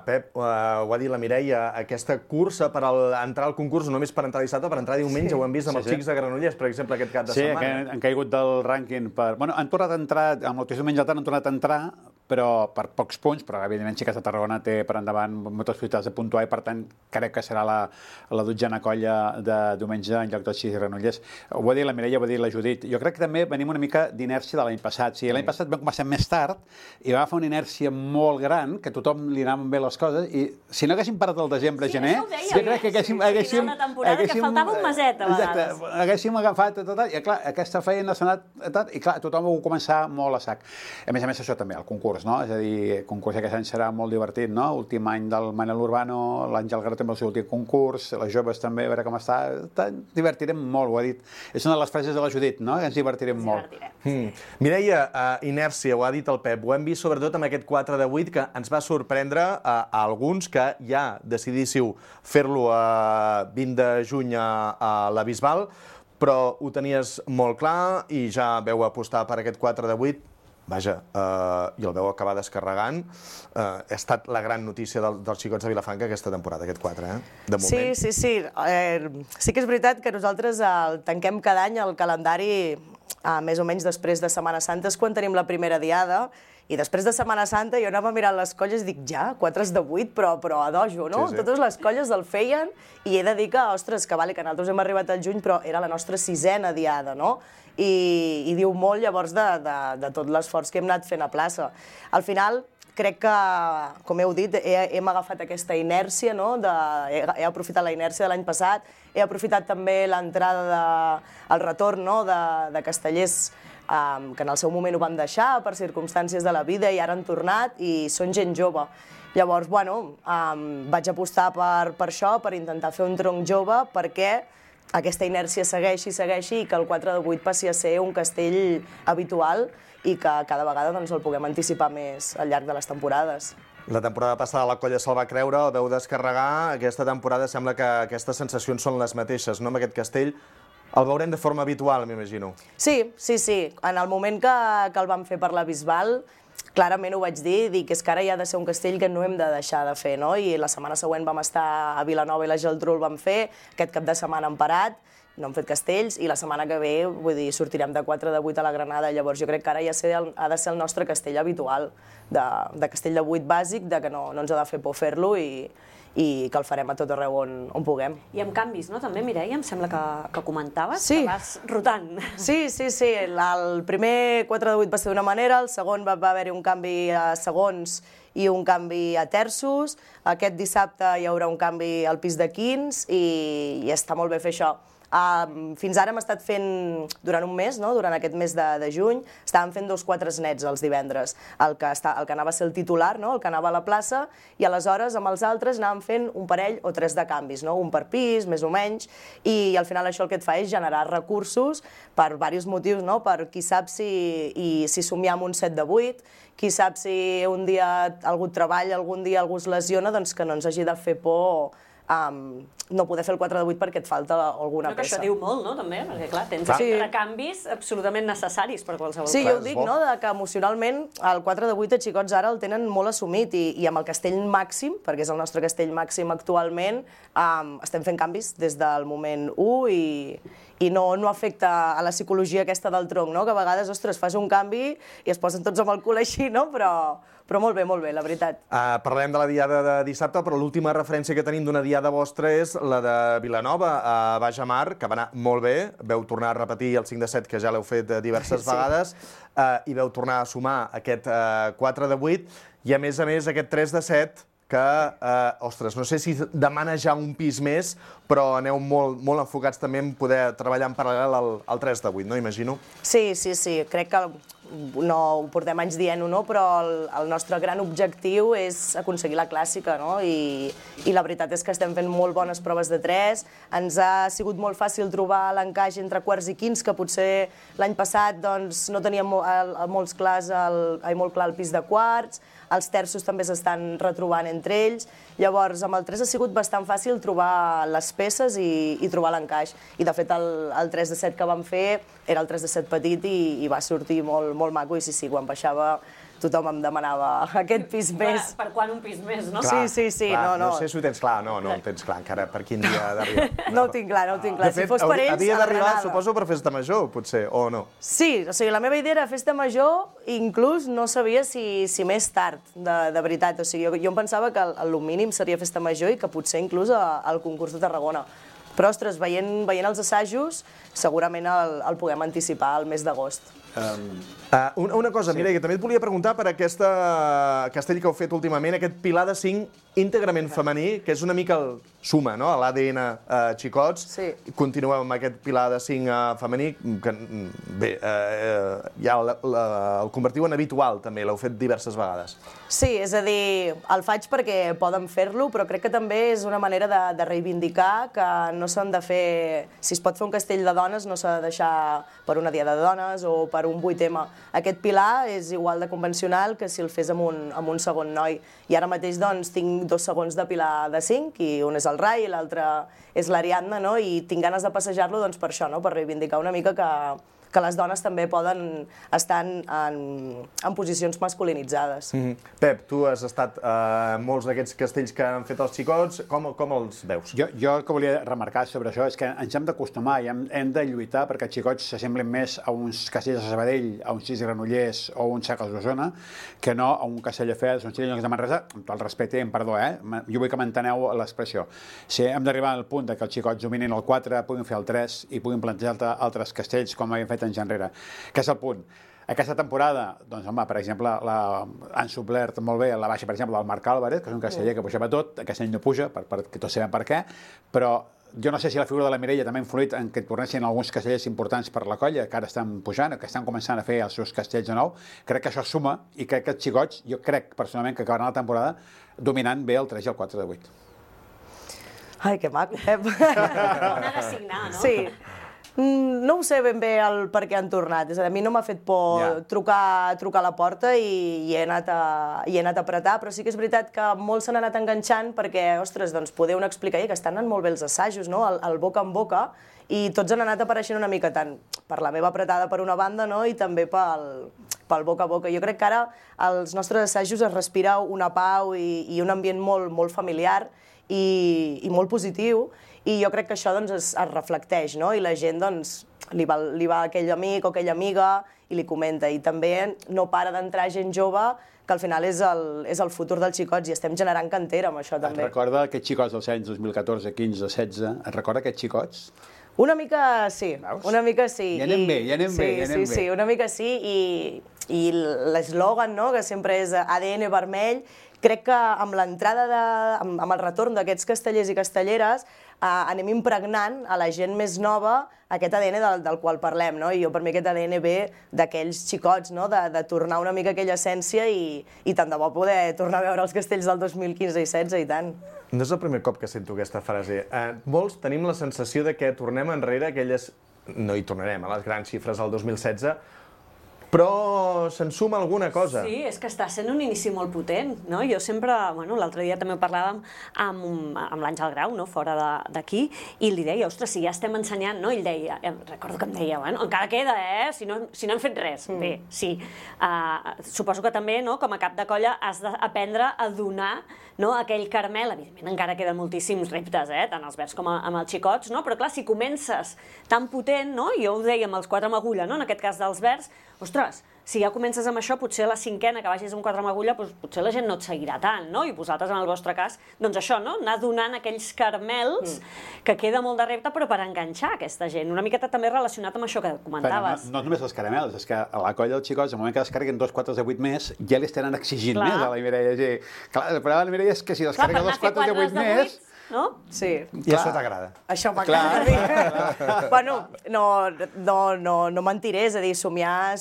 Speaker 8: Pep, ho ha dit la Mireia, aquesta cursa per entrar al concurs, no només per entrar dissabte, per entrar diumenge, ho hem vist amb els xics de Granollers, per exemple, aquest cap de setmana.
Speaker 1: Sí, que han caigut del rànquing per... Bueno, han tornat a entrar, amb el diumenge han tornat a entrar, però per pocs punts, però evidentment sí que a Tarragona té per endavant moltes possibilitats de puntuar i per tant crec que serà la dotzena colla de diumenge en lloc dels xics de Granollers. Ho ha dit la Mireia, ho ha dit la Judit. Jo crec que també venim una mica d'inèrcia de l'any passat. Sí, l'any passat vam començar més tard i va fer una inèrcia molt gran, que a tothom li anaven bé les coses, i si no haguéssim parat el desembre-gener, jo crec que haguéssim...
Speaker 10: una temporada que faltava un meset, a vegades.
Speaker 1: Exacte, haguéssim agafat tot, i clar, aquesta feina s'ha anat, i clar, tothom ho va començar molt a sac. A més, això també, el concurs, no? És a dir, el concurs aquest any serà molt divertit, no? Últim any del Manel Urbano, l'Àngel Garó també el seu últim concurs, les joves també, a veure com està. Divertirem molt, ho ha dit. És una de les frases de la Judit, no? Ens divertirem molt.
Speaker 8: Mireia, inèrcia, ho ha dit el Pep, ho hem vist sobretot amb aquest 4 de 8 que ens va sorprendre a alguns que ja decidíssiu fer-lo a 20 de juny a la Bisbal, però ho tenies molt clar i ja veu apostar per aquest 4 de 8. Vaja, i el veu acabar descarregant. Ha estat la gran notícia dels xicots de Vilafranca aquesta temporada, aquest 4, de moment.
Speaker 9: Sí. Sí que és veritat que nosaltres tanquem cada any el calendari més o menys després de Setmana Santa, és quan tenim la primera diada, i després de Setmana Santa jo anava mirant les colles i dic, ja, 4 de 8, però a dojo, no?
Speaker 8: Sí.
Speaker 9: Totes les colles el feien i he de dir que, ostres, que vale, que nosaltres hem arribat al juny, però era la nostra 6a diada, no? I diu molt, llavors, de tot l'esforç que hem anat fent a plaça. Al final, crec que, com heu dit, hem agafat aquesta inèrcia, no? He aprofitat la inèrcia de l'any passat, he aprofitat també l'entrada, el retorn de castellers que en el seu moment ho van deixar per circumstàncies de la vida i ara han tornat i són gent jove. Llavors, bueno, vaig apostar per això, per intentar fer un tronc jove, perquè aquesta inèrcia segueixi i que el 4 de 8 passi a ser un castell habitual i que cada vegada el puguem anticipar més al llarg de les temporades.
Speaker 8: La temporada passada la colla se'l va creure, el veu descarregar. Aquesta temporada sembla que aquestes sensacions són les mateixes, no? Amb aquest castell El veurem de forma habitual, m'imagino.
Speaker 9: Sí. En el moment que el vam fer per la Bisbal, clarament ho vaig dir, dic, és que ara ja ha de ser un castell que no hem de deixar de fer, no? I la setmana següent vam estar a Vilanova i la Geltrú el vam fer, aquest cap de setmana hem parat, no hem fet castells, i la setmana que ve, vull dir, sortirem de 4 de 8 a la Granada, llavors jo crec que ara ja ha de ser el nostre castell habitual, de castell de 8 bàsic, de que no ens ha de fer por fer-lo i que el farem a tot arreu on puguem.
Speaker 10: I amb canvis, no? També, Mireia, em sembla que comentaves,
Speaker 9: sí,
Speaker 10: que vas rotant.
Speaker 9: Sí. El primer 4 de 8 va ser d'una manera, el segon va haver-hi un canvi a segons i un canvi a terços. Aquest dissabte hi haurà un canvi al pis de quins i està molt bé fer això. Fins ara hem estat fent, durant un mes, durant aquest mes de juny, estàvem fent 2 4 nets els divendres, el que anava a ser el titular, el que anava a la plaça, i aleshores amb els altres anàvem fent un parell o 3 de canvis, un per pis, més o menys, i al final això el que et fa és generar recursos per diversos motius, per qui sap si somiem un 7 de 8, qui sap si un dia algú treballa, algun dia algú es lesiona, doncs que no ens hagi de fer por no poder fer el 4 de 8 perquè et falta alguna peça.
Speaker 10: Això diu molt, no?, també, perquè clar, tens recanvis absolutament necessaris per qualsevol cosa.
Speaker 9: Sí, jo ho dic, que emocionalment el 4 de 8 a xicots ara el tenen molt assumit i amb el castell màxim, perquè és el nostre castell màxim actualment, estem fent canvis des del moment 1 i no afecta a la psicologia aquesta del tronc, que a vegades, ostres, fas un canvi i es posen tots amb el cul així, però molt bé, la veritat.
Speaker 8: Parlem de la diada de dissabte, però l'última referència que tenim d'una diada vostra és la de Vilanova, a Baix Amar, que va anar molt bé. Veu tornar a repetir el 5 de 7, que ja l'heu fet diverses vegades, i veu tornar a sumar aquest 4 de 8, i a més aquest 3 de 7, que, ostres, no sé si demana ja un pis més, però aneu molt enfocats també en poder treballar en paral·lel al 3 de 8, no? Imagino.
Speaker 9: Sí, crec que no ho portem anys dient-ho, però el nostre gran objectiu és aconseguir la clàssica, i la veritat és que estem fent molt bones proves de 3, ens ha sigut molt fàcil trobar l'encaix entre quarts i quints, que potser l'any passat no teníem molt clar el pis de quarts, els terços també s'estan retrobant entre ells, llavors amb el 3 ha sigut bastant fàcil trobar les peces i trobar l'encaix. I de fet el 3 de 7 que vam fer era el 3 de 7 petit i va sortir molt maco i sí, quan baixava tothom em demanava aquest pis més.
Speaker 10: Per quan un pis més, no?
Speaker 9: Sí, no.
Speaker 8: No sé si ho tens clar, no el tens clar encara, per quin dia ha d'arribar.
Speaker 9: No ho tinc clar.
Speaker 8: De fet, havia d'arribar, suposo, per Festa Major, potser, o no?
Speaker 9: Sí, o sigui, la meva idea era Festa Major, inclús no sabia si més tard, de veritat. O sigui, jo em pensava que el mínim seria Festa Major i que potser inclús al concurs de Tarragona. Però, ostres, veient els assajos, segurament el puguem anticipar al mes d'agost.
Speaker 8: Una cosa, Mireia, que també et volia preguntar per aquest castell que heu fet últimament, aquest pilar de 5 íntegrament femení, que és una mica el suma, no?, a l'ADN xicots. Continueu amb aquest pilar de 5 femení, que bé, ja el convertiu en habitual, també, l'heu fet diverses vegades.
Speaker 9: Sí, és a dir, el faig perquè poden fer-lo, però crec que també és una manera de reivindicar que no s'han de fer... Si es pot fer un castell de dones, no s'ha de deixar per una diada de dones o per un 8M. Aquest pilar és igual de convencional que si el fes amb un segon noi. I ara mateix, doncs, tinc 2 segons de pilar de 5, i un és el Rai i l'altre és l'Ariadna, no? I tinc ganes de passejar-lo, doncs, per això, no? Per reivindicar una mica que les dones també poden estar en posicions masculinitzades.
Speaker 8: Pep, tu has estat en molts d'aquests castells que han fet els xicots, com els veus?
Speaker 1: Jo el que volia remarcar sobre això és que ens hem d'acostumar i hem de lluitar perquè els xicots s'assemblen més a uns castells de Sabadell, a uns 6 Granollers o uns Sacals d'Osona, que no a un castell de Fels, uns Xillocs de Manresa, amb tot el respecte i amb perdó, jo vull que m'enteneu l'expressió. Si hem d'arribar al punt que els xicots dominin el 4, puguin fer el 3 i puguin plantejar altres castells com havien fet anys enrere. Que és el punt. Aquesta temporada, doncs, home, per exemple, han suplert molt bé la baixa, per exemple, del Marc Álvarez, que és un casteller que pujava tot, aquest any no puja, que tots sabem per què, però jo no sé si la figura de la Mireia també ha influït en que tornessin alguns castellers importants per la colla, que ara estan pujant, que estan començant a fer els seus castells de nou. Crec que això suma i crec que els xicots, jo crec personalment que acabaran la temporada dominant bé el 3 i el 4 de 8.
Speaker 9: Ai, que maco, Pep.
Speaker 10: N'ha de signar, no?
Speaker 9: Sí. No ho sé ben bé el per què han tornat. És a dir, a mi no m'ha fet por trucar a la porta i he anat a apretar, però sí que és veritat que molts s'han anat enganxant perquè, ostres, doncs podeu explicar que estan anant molt bé els assajos, no? El boca en boca, i tots han anat apareixent una mica tant per la meva apretada per una banda, no? I també pel boca a boca. Jo crec que ara als nostres assajos es respira una pau i un ambient molt familiar i molt positiu, i jo crec que això es reflecteix, no? I la gent li va aquell amic o aquella amiga i li comenta. I també no para d'entrar gent jove, que al final és el futur dels xicots, i estem generant cantera amb això també.
Speaker 1: Et recorda aquests xicots dels anys 2014, 15, 16? Et recorda aquests xicots?
Speaker 9: Una mica sí, una mica sí.
Speaker 1: Ja anem bé.
Speaker 9: Sí, una mica sí, i l'eslògan, que sempre és ADN vermell, crec que amb l'entrada, amb el retorn d'aquests castellers i castelleres, anem impregnant a la gent més nova aquest ADN del qual parlem, no? I jo, per mi, aquest ADN ve d'aquells xicots, no? De tornar una mica aquella essència i tant de bo poder tornar a veure els castells del 2015 i 16, i tant.
Speaker 8: No és el primer cop que sento aquesta frase. Molts tenim la sensació de que tornem enrere aquelles... No hi tornarem, a les grans xifres del 2016, però se'n suma alguna cosa.
Speaker 10: Sí, és que està sent un inici molt potent, no? Jo sempre, l'altre dia també parlàvem amb l'Àngel Grau, no?, fora d'aquí, i li deia, ostres, si ja estem ensenyant, no? Ell deia, recordo que em deia, encara queda, si no hem fet res. Bé, sí. Suposo que també, com a cap de colla, has d'aprendre a donar aquell caramel. Evidentment, encara queden moltíssims reptes, tant als verds com amb els xicots, però clar, si comences tan potent, jo ho deia amb els 4 amb agulla, en aquest cas dels verds, ostres, si ja comences amb això, potser a la 5a, que vagis amb 4 amb agulla, potser la gent no et seguirà tant, no? I vosaltres, en el vostre cas, doncs això, no? Anar donant aquells caramels, que queda molt de repte, però per enganxar aquesta gent. Una miqueta també relacionat amb això que comentaves.
Speaker 1: No només els caramels, és que a la colla dels xicots, al moment que descarreguen 2 4 de 8 més, ja li estan exigint més a la Mireia. Clar, el problema de la Mireia és que si descarrega 2 4 de 8 més...
Speaker 9: Sí.
Speaker 8: I això t'agrada.
Speaker 9: Això m'agrada. Bueno, no mentiré, és a dir, somiar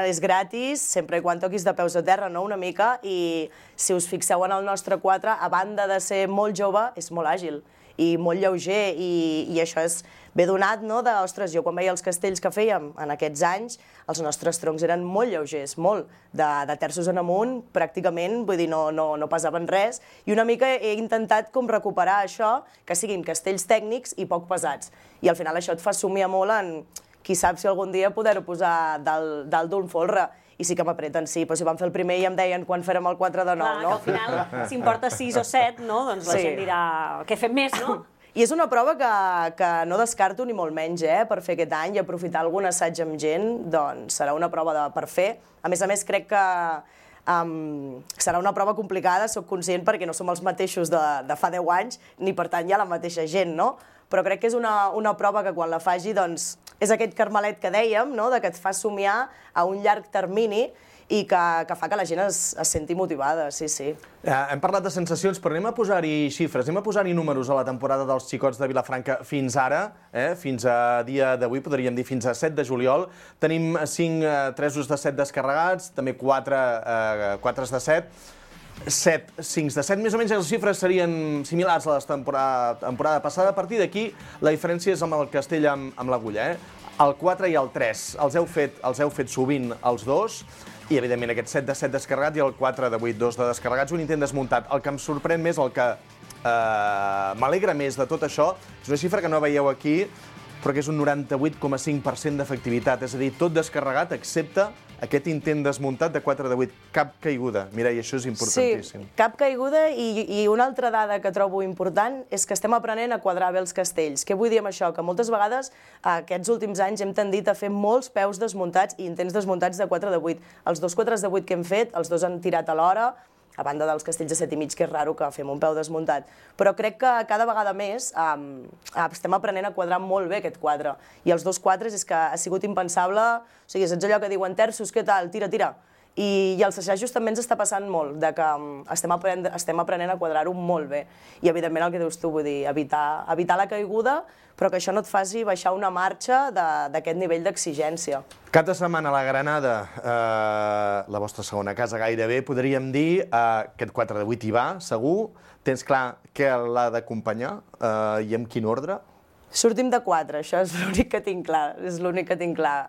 Speaker 9: és gratis, sempre quan toquis de peus a terra, no?, una mica, i si us fixeu en el nostre 4, a banda de ser molt jove, és molt àgil i molt lleuger, i això és ben donat, no?, ostres, jo quan veia els castells que fèiem en aquests anys, els nostres troncs eren molt lleugers, molt, de terços en amunt, pràcticament, vull dir, no pesaven res, i una mica he intentat com recuperar això, que siguin castells tècnics i poc pesats. I al final això et fa somiar molt en, qui sap si algun dia poder-ho posar dalt d'un folre. I sí que m'apreten, sí, però si vam fer el primer i em deien quan fèrem el 4 de 9, no?
Speaker 10: Clar, que al final, si em porta 6 o 7, no? Doncs la gent dirà, què fem més, no?
Speaker 9: I és una prova que no descarto ni molt menys, per fer aquest any i aprofitar algun assaig amb gent, doncs serà una prova per fer. A més, crec que serà una prova complicada, soc conscient, perquè no som els mateixos de fa 10 anys, ni per tant hi ha la mateixa gent, no? Però crec que és una prova que quan la faci, doncs, és aquest carmelet que dèiem, no?, que et fa somiar a un llarg termini i que fa que la gent es senti motivada, sí.
Speaker 8: Hem parlat de sensacions, però anem a posar-hi xifres, anem a posar-hi números a la temporada dels xicots de Vilafranca fins ara, fins a dia d'avui, podríem dir fins a 7 de juliol. Tenim 5 tresos de 7 descarregats, també 4 de 7, 7 5 de 7, més o menys les xifres serien similars a la temporada passada. A partir d'aquí, la diferència és amb el castell amb l'agulla, El 4 i el 3 els heu fet sovint els dos, i evidentment aquest 7 de 7 descarregat i el 4 de 8, 2 de descarregats, un intent desmuntat. El que em sorprèn més, el que m'alegra més de tot això, és una xifra que no veieu aquí, però que és un 98,5% d'efectivitat, és a dir, tot descarregat excepte aquest intent desmuntat de 4 de 8, cap caiguda. Mireia, això és importantíssim.
Speaker 9: Sí, cap caiguda, i una altra dada que trobo important és que estem aprenent a quadrar bé els castells. Què vull dir amb això? Que moltes vegades aquests últims anys hem tendit a fer molts peus desmuntats i intents desmuntats de 4 de 8. Els 2 4 de 8 que hem fet, els dos han tirat alhora, a banda dels castells de 7,5, que és raro que fem un peu desmuntat. Però crec que cada vegada més estem aprenent a quadrar molt bé aquest quadre. I els 2 4 és que ha sigut impensable. O sigui, saps allò que diuen terços, què tal? Tira. I els assajos també ens està passant molt, de que estem aprenent a quadrar-ho molt bé. I, evidentment, el que dius tu, vull dir, evitar la caiguda, però que això no et faci baixar una marxa d'aquest nivell d'exigència.
Speaker 8: Cap de setmana a la Granada, la vostra segona casa gairebé, podríem dir, aquest 4 de 8 hi va, segur. Tens clar què l'ha d'acompanyar i en quin ordre?
Speaker 9: Sortim de 4, això és l'únic que tinc clar,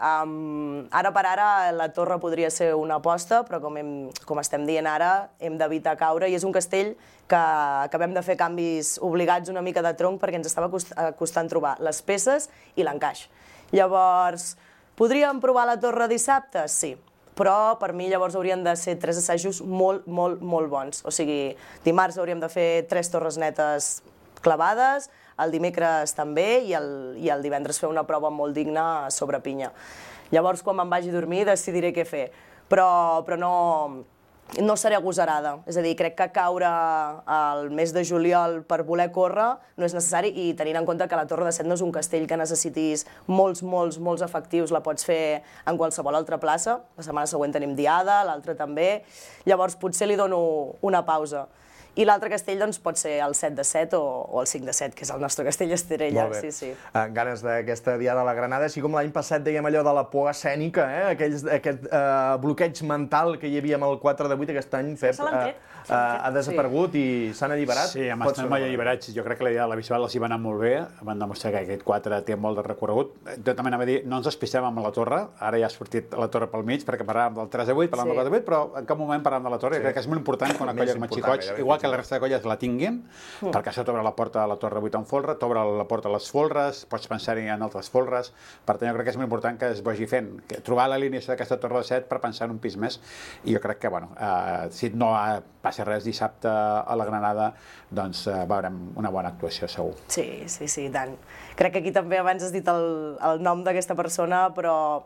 Speaker 9: Ara per ara la torre podria ser una aposta, però com estem dient ara, hem d'evitar caure, i és un castell que acabem de fer canvis obligats una mica de tronc perquè ens estava costant trobar les peces i l'encaix. Llavors, podríem provar la torre dissabte? Sí, però per mi llavors haurien de ser 3 assajos molt bons. O sigui, dimarts hauríem de fer 3 torres netes clavades, el dimecres també, i el divendres fer una prova molt digna sobre pinya. Llavors, quan me'n vagi a dormir, decidiré què fer. Però no seré agosarada. És a dir, crec que caure al mes de juliol per voler córrer no és necessari, i tenint en compte que la Torre de Set no és un castell que necessitis molts efectius, la pots fer en qualsevol altra plaça. La setmana següent tenim Diada, l'altra també. Llavors, potser li dono una pausa. I l'altre castell doncs, pot ser el 7 de 7 o el 5 de 7, que és el nostre castell estrella.
Speaker 8: Molt bé. Ganes d'aquesta Diada a la Granada, així com l'any passat dèiem allò de la por escènica, aquest bloqueig mental que hi havia amb el 4 de 8, aquest any, Pep, ha desaparegut i s'han alliberat.
Speaker 1: Sí, hem estat molt alliberats. Jo crec que la Diada de la Bisbal els hi va anar molt bé, van demostrar que aquest 4 té molt de recorregut. Jo també anava a dir, no ens despistem amb la torre, ara ja ha sortit la torre pel mig, perquè parlàvem del 3 de 8, parlàvem del 4 de 8, però en cap moment parlàvem de la torre, i crec que és molt important quan una colla com a Xicots, igual que la resta de colles la tinguin, perquè això t'obre la porta a la Torre 8 en folre, t'obre la porta a les folres, pots pensar-hi en altres folres, per tant jo crec que és molt important que es vagi fent, trobar l'alineació d'aquesta Torre de 7 per pensar en un pis més, i jo crec que, bueno, si no passa res dissabte a la Granada, doncs veurem una bona actuació, segur.
Speaker 9: Sí, i tant. Crec que aquí també abans has dit el nom d'aquesta persona, però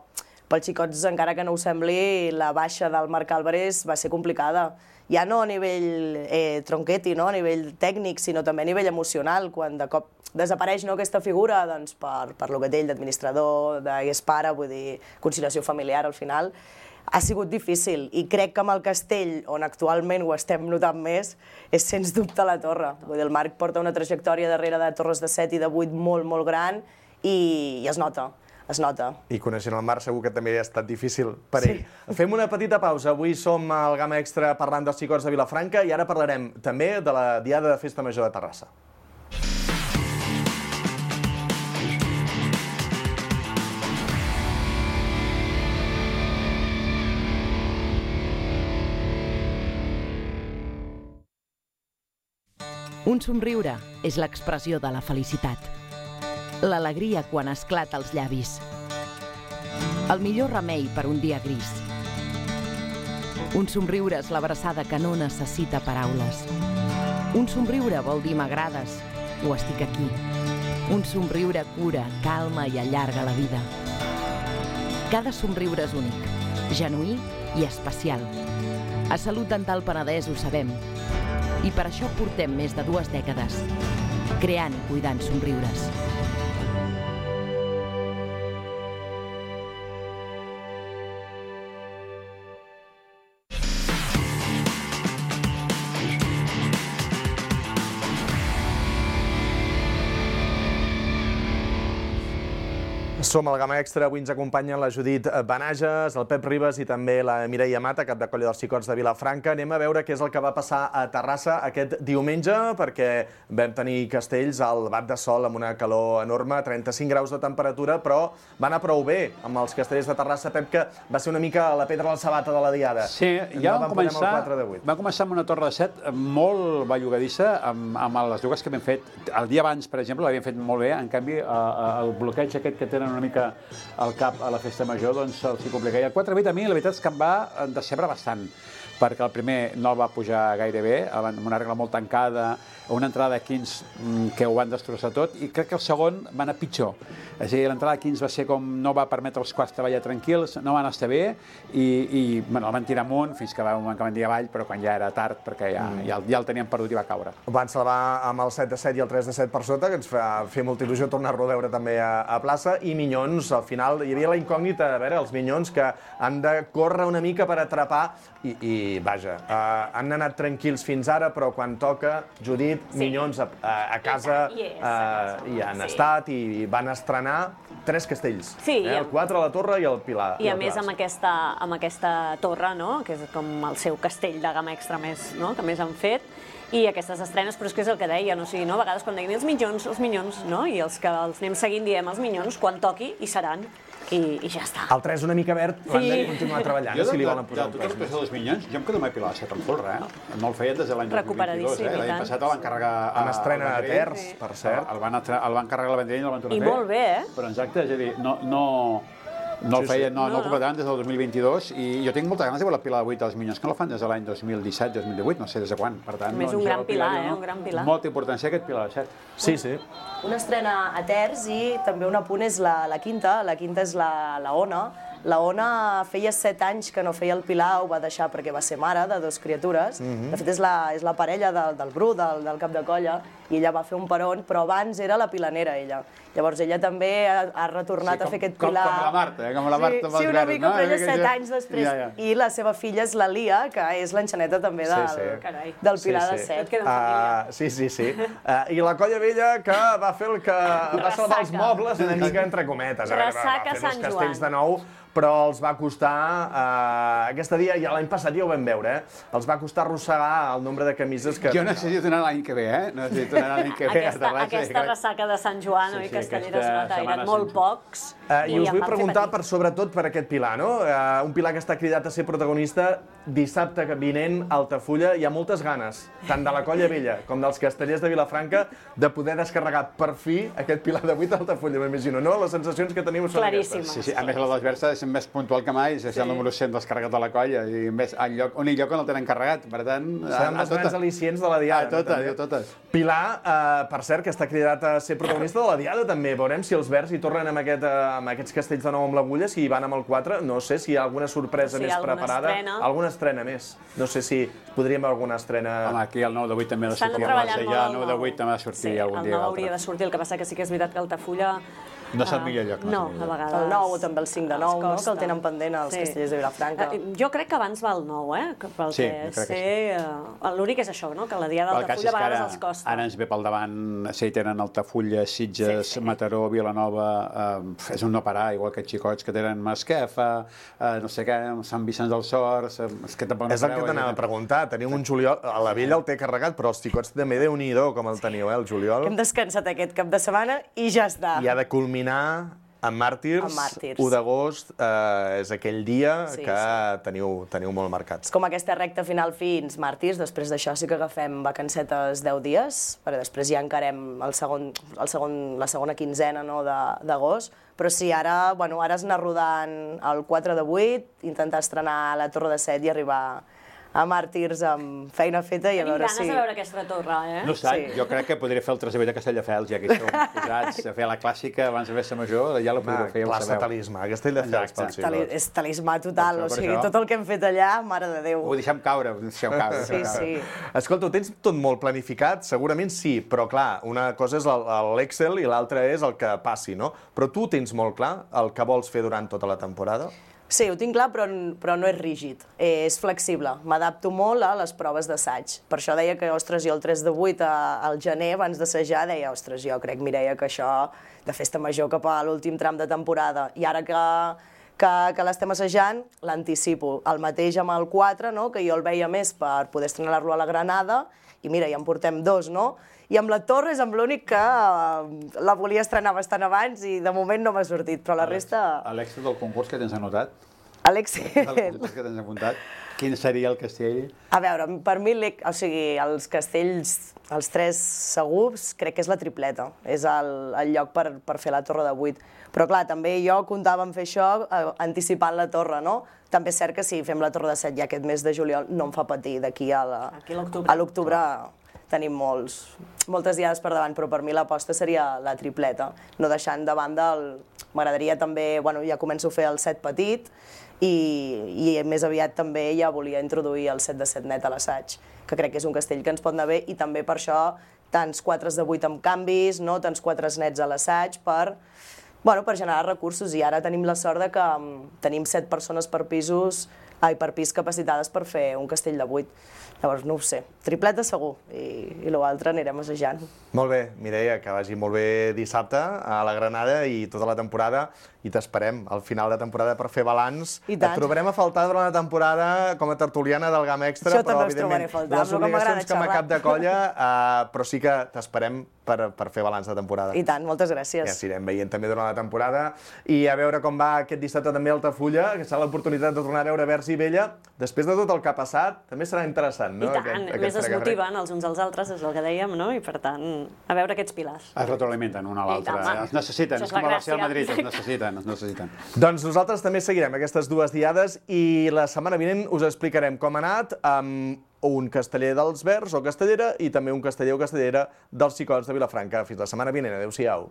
Speaker 9: pels Xicots, encara que no ho sembli, la baixa del Marc Álvarez va ser complicada. Ja no a nivell tronqueti, a nivell tècnic, sinó també a nivell emocional, quan de cop desapareix aquesta figura per lo que té ell d'administrador, d'és pare, vull dir, conciliació familiar al final, ha sigut difícil, i crec que amb el castell, on actualment ho estem notant més, és sens dubte la torre. Vull dir, el Marc porta una trajectòria darrere de torres de 7 i de 8 molt gran, i es nota.
Speaker 8: I coneixent el Marc segur que també ha estat difícil per ell. Fem una petita pausa. Avui som al Gamma Extra parlant dels Xicots de Vilafranca i ara parlarem també de la Diada de Festa Major de Terrassa.
Speaker 11: Un somriure és l'expressió de la felicitat. L'alegria quan esclata als llavis. El millor remei per un dia gris. Un somriure és l'abraçada que no necessita paraules. Un somriure vol dir m'agrades o estic aquí. Un somriure cura, calma i allarga la vida. Cada somriure és únic, genuí i especial. A Salut Dental Penedès ho sabem. I per això portem més de 2 dècades creant i cuidant somriures.
Speaker 8: Som al Gamma Extra, avui ens acompanyen la Judit Benages, el Pep Ribas i també la Mireia Mata, cap de colla dels Xicots de Vilafranca. Anem a veure què és el que va passar a Terrassa aquest diumenge, perquè vam tenir castells al bat de sol amb una calor enorme, 35 graus de temperatura, però va anar prou bé amb els castells de Terrassa, Pep, que va ser una mica la pedra a la sabata de la Diada.
Speaker 1: Sí, ja vam començar amb una torre de 7 molt bellugadissa, amb les dues que vam fet. El dia abans, per exemple, l'havíem fet molt bé, en canvi, el bloqueig aquest que tenen una mica al cap a la festa major, doncs se'ls complica. I el 4-8 a mi, la veritat és que em va decebre bastant, perquè el primer no el va pujar gaire bé, amb una regla molt tancada, una entrada de 15 que ho van destrossar tot, i crec que el segon va anar pitjor. És a dir, l'entrada de 15 va ser com no va permetre als quarts treballar tranquils, no van estar bé, i el van tirar amunt fins que va un moment que van dir avall, però quan ja era tard, perquè ja el teníem perdut i va caure.
Speaker 8: Van salvar amb el 7 de 7 i el 3 de 7 per sota, que ens fa fer molta il·lusió tornar-lo a veure també a plaça, i Minyons, al final, hi havia la incògnita, a veure, els Minyons que han de córrer una mica per atrapar, i vaja, han anat tranquils fins ara, però quan toca, Judit, Minyons a casa hi han estat i van estrenar 3 castells. El 4 a la Torre i el Pilar.
Speaker 10: I a més amb aquesta torre, que és com el seu castell de gamma extra que més han fet, I aquestes estrenes, però és que és el que deien, o sigui, no? A vegades quan deien els minyons, no? I els que els anem seguint diem els minyons, quan toqui hi seran, i ja està.
Speaker 8: El 3 una mica verd, l'han de continuar treballant, si li volen posar un
Speaker 1: pes. Jo, dels minyons, jo em quedo mai pilar a set amb folre, no el feien des de l'any 2022, L'any passat el van carregar
Speaker 8: amb estrena de terç, per cert.
Speaker 1: El van carregar la Vendrell i el van tornar a fer.
Speaker 10: I molt bé,
Speaker 1: Però exacte, és a dir, no el feien, no el completaven des del 2022 i jo tinc moltes ganes de veure la pila de 8 dels Minyons, que no la fan des de l'any 2017-2018, no sé des de quan. Per tant,
Speaker 10: més un gran pilar, un gran pilar.
Speaker 1: Molta importància aquest pilar de 7.
Speaker 8: Sí.
Speaker 9: Una estrena a terç i també un apunt és la quinta. La quinta és la Ona. La Ona feia 7 anys que no feia el pilar, ho va deixar perquè va ser mare de 2 criatures. De fet, és la parella del Bru, del cap de colla, i ella va fer un peron, però abans era la pilanera, ella. Llavors, ella també ha retornat a fer aquest pilar.
Speaker 1: Com la Marta, com la Marta.
Speaker 9: Sí, una mica, però ella 7 anys després. I la seva filla és la Lia, que és l'enxaneta també del pilar de 7.
Speaker 8: Sí. I la Colla Vella, que va fer el que va salvar els mobles, una mica entre cometes.
Speaker 10: Ressaca Sant Joan.
Speaker 8: Castells de nou, però els va costar, aquest dia, ja l'any passat ja ho vam veure, els va costar arrossegar el nombre de camises que...
Speaker 1: Jo necessito anar l'any que ve, Necessito anar l'any que ve a Terrassa.
Speaker 10: Aquesta ressaca de Sant Joan, oi, Castelleres nota, eren molt pocs.
Speaker 8: I us vull preguntar, sobretot per aquest pilar, no? Un pilar que està cridat a ser protagonista dissabte vinent a Altafulla. Hi ha moltes ganes, tant de la Colla Vella com dels castellers de Vilafranca, de poder descarregar per fi aquest pilar de 8 a Altafulla, m'imagino, no? Les sensacions que teniu són
Speaker 10: aquestes.
Speaker 1: Sí, a més la desversa és més puntual que mai, és el número 100 descarregat a la colla, i més únic lloc on el tenen carregat, per tant...
Speaker 8: Seran els grans al·licients de la Diada.
Speaker 1: A totes.
Speaker 8: Pilar, per cert, que està cridat a ser protagonista de la Diada, també. Veurem si els verds hi tornen amb aquests castells de nou amb l'agulla, si hi van amb el 4. No sé si hi ha alguna sorpresa més preparada. Alguna estrena més. No sé si podríem veure alguna estrena...
Speaker 1: Home, aquí el 9 de 8 també ha de sortir. El 9 de 8 també ha de sortir algun dia.
Speaker 10: El 9 hauria de sortir, el que passa que sí que és veritat que Altafulla...
Speaker 1: No és el millor lloc.
Speaker 10: No, a vegades...
Speaker 9: El 9 o també el 5 de 9, que el tenen pendent els castellers de Vilafranca.
Speaker 10: Jo crec que abans va el 9, pel que sé. L'únic és això, que la Diada d'Altafulla a vegades els costa.
Speaker 1: Ara ens ve pel davant, si hi tenen Altafulla, Sitges, Mataró, Vilanova, és un no parar, igual que xicots que tenen Masquefa, no sé què, Sant Vicenç dels Horts... És el
Speaker 8: que t'anava a preguntar, teniu un juliol... A la Vella el té carregat, però els xicots també Déu-n'hi-do com el teniu, el juliol.
Speaker 9: Hem descansat aquest cap de setmana i ja està.
Speaker 8: I ha de culminar amb Màrtirs. 1 d'agost és aquell dia que teniu molt marcats.
Speaker 9: És com aquesta recta final fins Màrtirs, després d'això sí que agafem vacancetes 10 dies, perquè després ja encarem la segona quinzena d'agost, però sí, ara has d'anar rodant el 4 de 8, intentar estrenar la Torre de 7 i arribar a Màrtirs amb feina feta i a veure si...
Speaker 10: Tenim ganes de veure aquesta torre,
Speaker 1: No sé, jo crec que podria fer el Trasavell de Castelldefels, ja que hi som posats a fer la clàssica abans de Festa Major, ja la podria fer, ja ho sabeu.
Speaker 8: Talismà, Castelldefels pel siglo.
Speaker 9: És talismà total, o sigui, tot el que hem fet allà, mare de Déu.
Speaker 1: Ho deixem caure,
Speaker 9: Sí.
Speaker 8: Escolta, ho tens tot molt planificat? Segurament sí, però clar, una cosa és l'Excel i l'altra és el que passi, no? Però tu tens molt clar el que vols fer durant tota la temporada?
Speaker 9: Sí, ho tinc clar, però no és rígid, és flexible. M'adapto molt a les proves d'assaig. Per això deia que, ostres, jo el 3 de 8 al gener, abans d'assajar, deia, ostres, jo crec, Mireia, que això de Festa Major cap a l'últim tram de temporada. I ara que l'estem assajant, l'anticipo. El mateix amb el 4, que jo el veia més per poder estrenar-lo a la Granada, i mira, ja en portem 2, no? I amb la Torre és amb l'únic que la volia estrenar bastant abans i de moment no m'ha sortit, però la resta...
Speaker 1: L'èxit del concurs que tens anotat?
Speaker 9: L'èxit...
Speaker 1: El concurs que tens apuntat, quin seria el castell?
Speaker 9: A veure, per mi, els castells, els 3 segurs, crec que és la tripleta. És el lloc per fer la Torre de 8. Però clar, també jo comptava en fer això anticipant la Torre, no? També és cert que si fem la Torre de 7 ja aquest mes de juliol no em fa patir d'aquí a l'octubre. Tenim moltes diades per davant, però per mi l'aposta seria la tripleta. No deixant de banda m'agradaria també, ja començo a fer el 7 petit i més aviat també ja volia introduir el 7 de 7 net a l'assaig, que crec que és un castell que ens pot anar bé i també per això tants 4 de 8 amb canvis, tants 4 nets a l'assaig per generar recursos. I ara tenim la sort que tenim 7 persones per pisos per pis capacitades per fer un castell de 8. Llavors, no ho sé, tripleta segur, i l'altre anirem assajant.
Speaker 8: Molt bé, Mireia, que vagi molt bé dissabte a la Granada i tota la temporada, i t'esperem al final de temporada per fer balanç. Et trobarem a faltar durant la temporada com a tertuliana del GAM Extra, però evidentment les obligacions com a cap de colla, però sí que t'esperem per fer balanç de temporada.
Speaker 9: I tant, moltes gràcies.
Speaker 8: Ja s'irem veient també durant la temporada, i a veure com va aquest dissabte també a Altafulla, que serà l'oportunitat de tornar a veure Verge i Vella. Després de tot el que ha passat, també serà interessant, no?
Speaker 10: I tant, més es motiven els uns als altres, és el que dèiem, no? I per tant, a veure aquests pilars.
Speaker 1: Es retroalimenten un a l'altre, els necessiten, és com el Barça i el Madrid, els necessiten.
Speaker 8: Doncs nosaltres també seguirem aquestes dues diades i la setmana vinent us explicarem com ha anat amb un casteller dels Verds o castellera i també un casteller o castellera dels Xicots de Vilafranca. Fins la setmana vinent. Adéu-siau.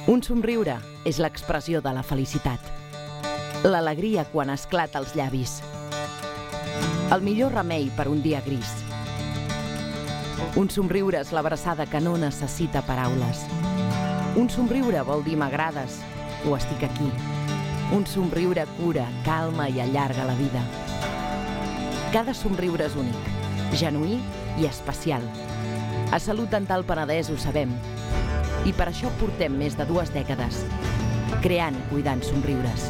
Speaker 11: Un somriure és l'expressió de la felicitat. L'alegria quan esclata als llavis. El millor remei per un dia gris. Un somriure és l'abraçada que no necessita paraules. Un somriure vol dir m'agrades o estic aquí. Un somriure cura, calma i allarga la vida. Cada somriure és únic, genuí i especial. A Salut Dental Penedès ho sabem. I per això portem més de 2 dècades creant i cuidant somriures.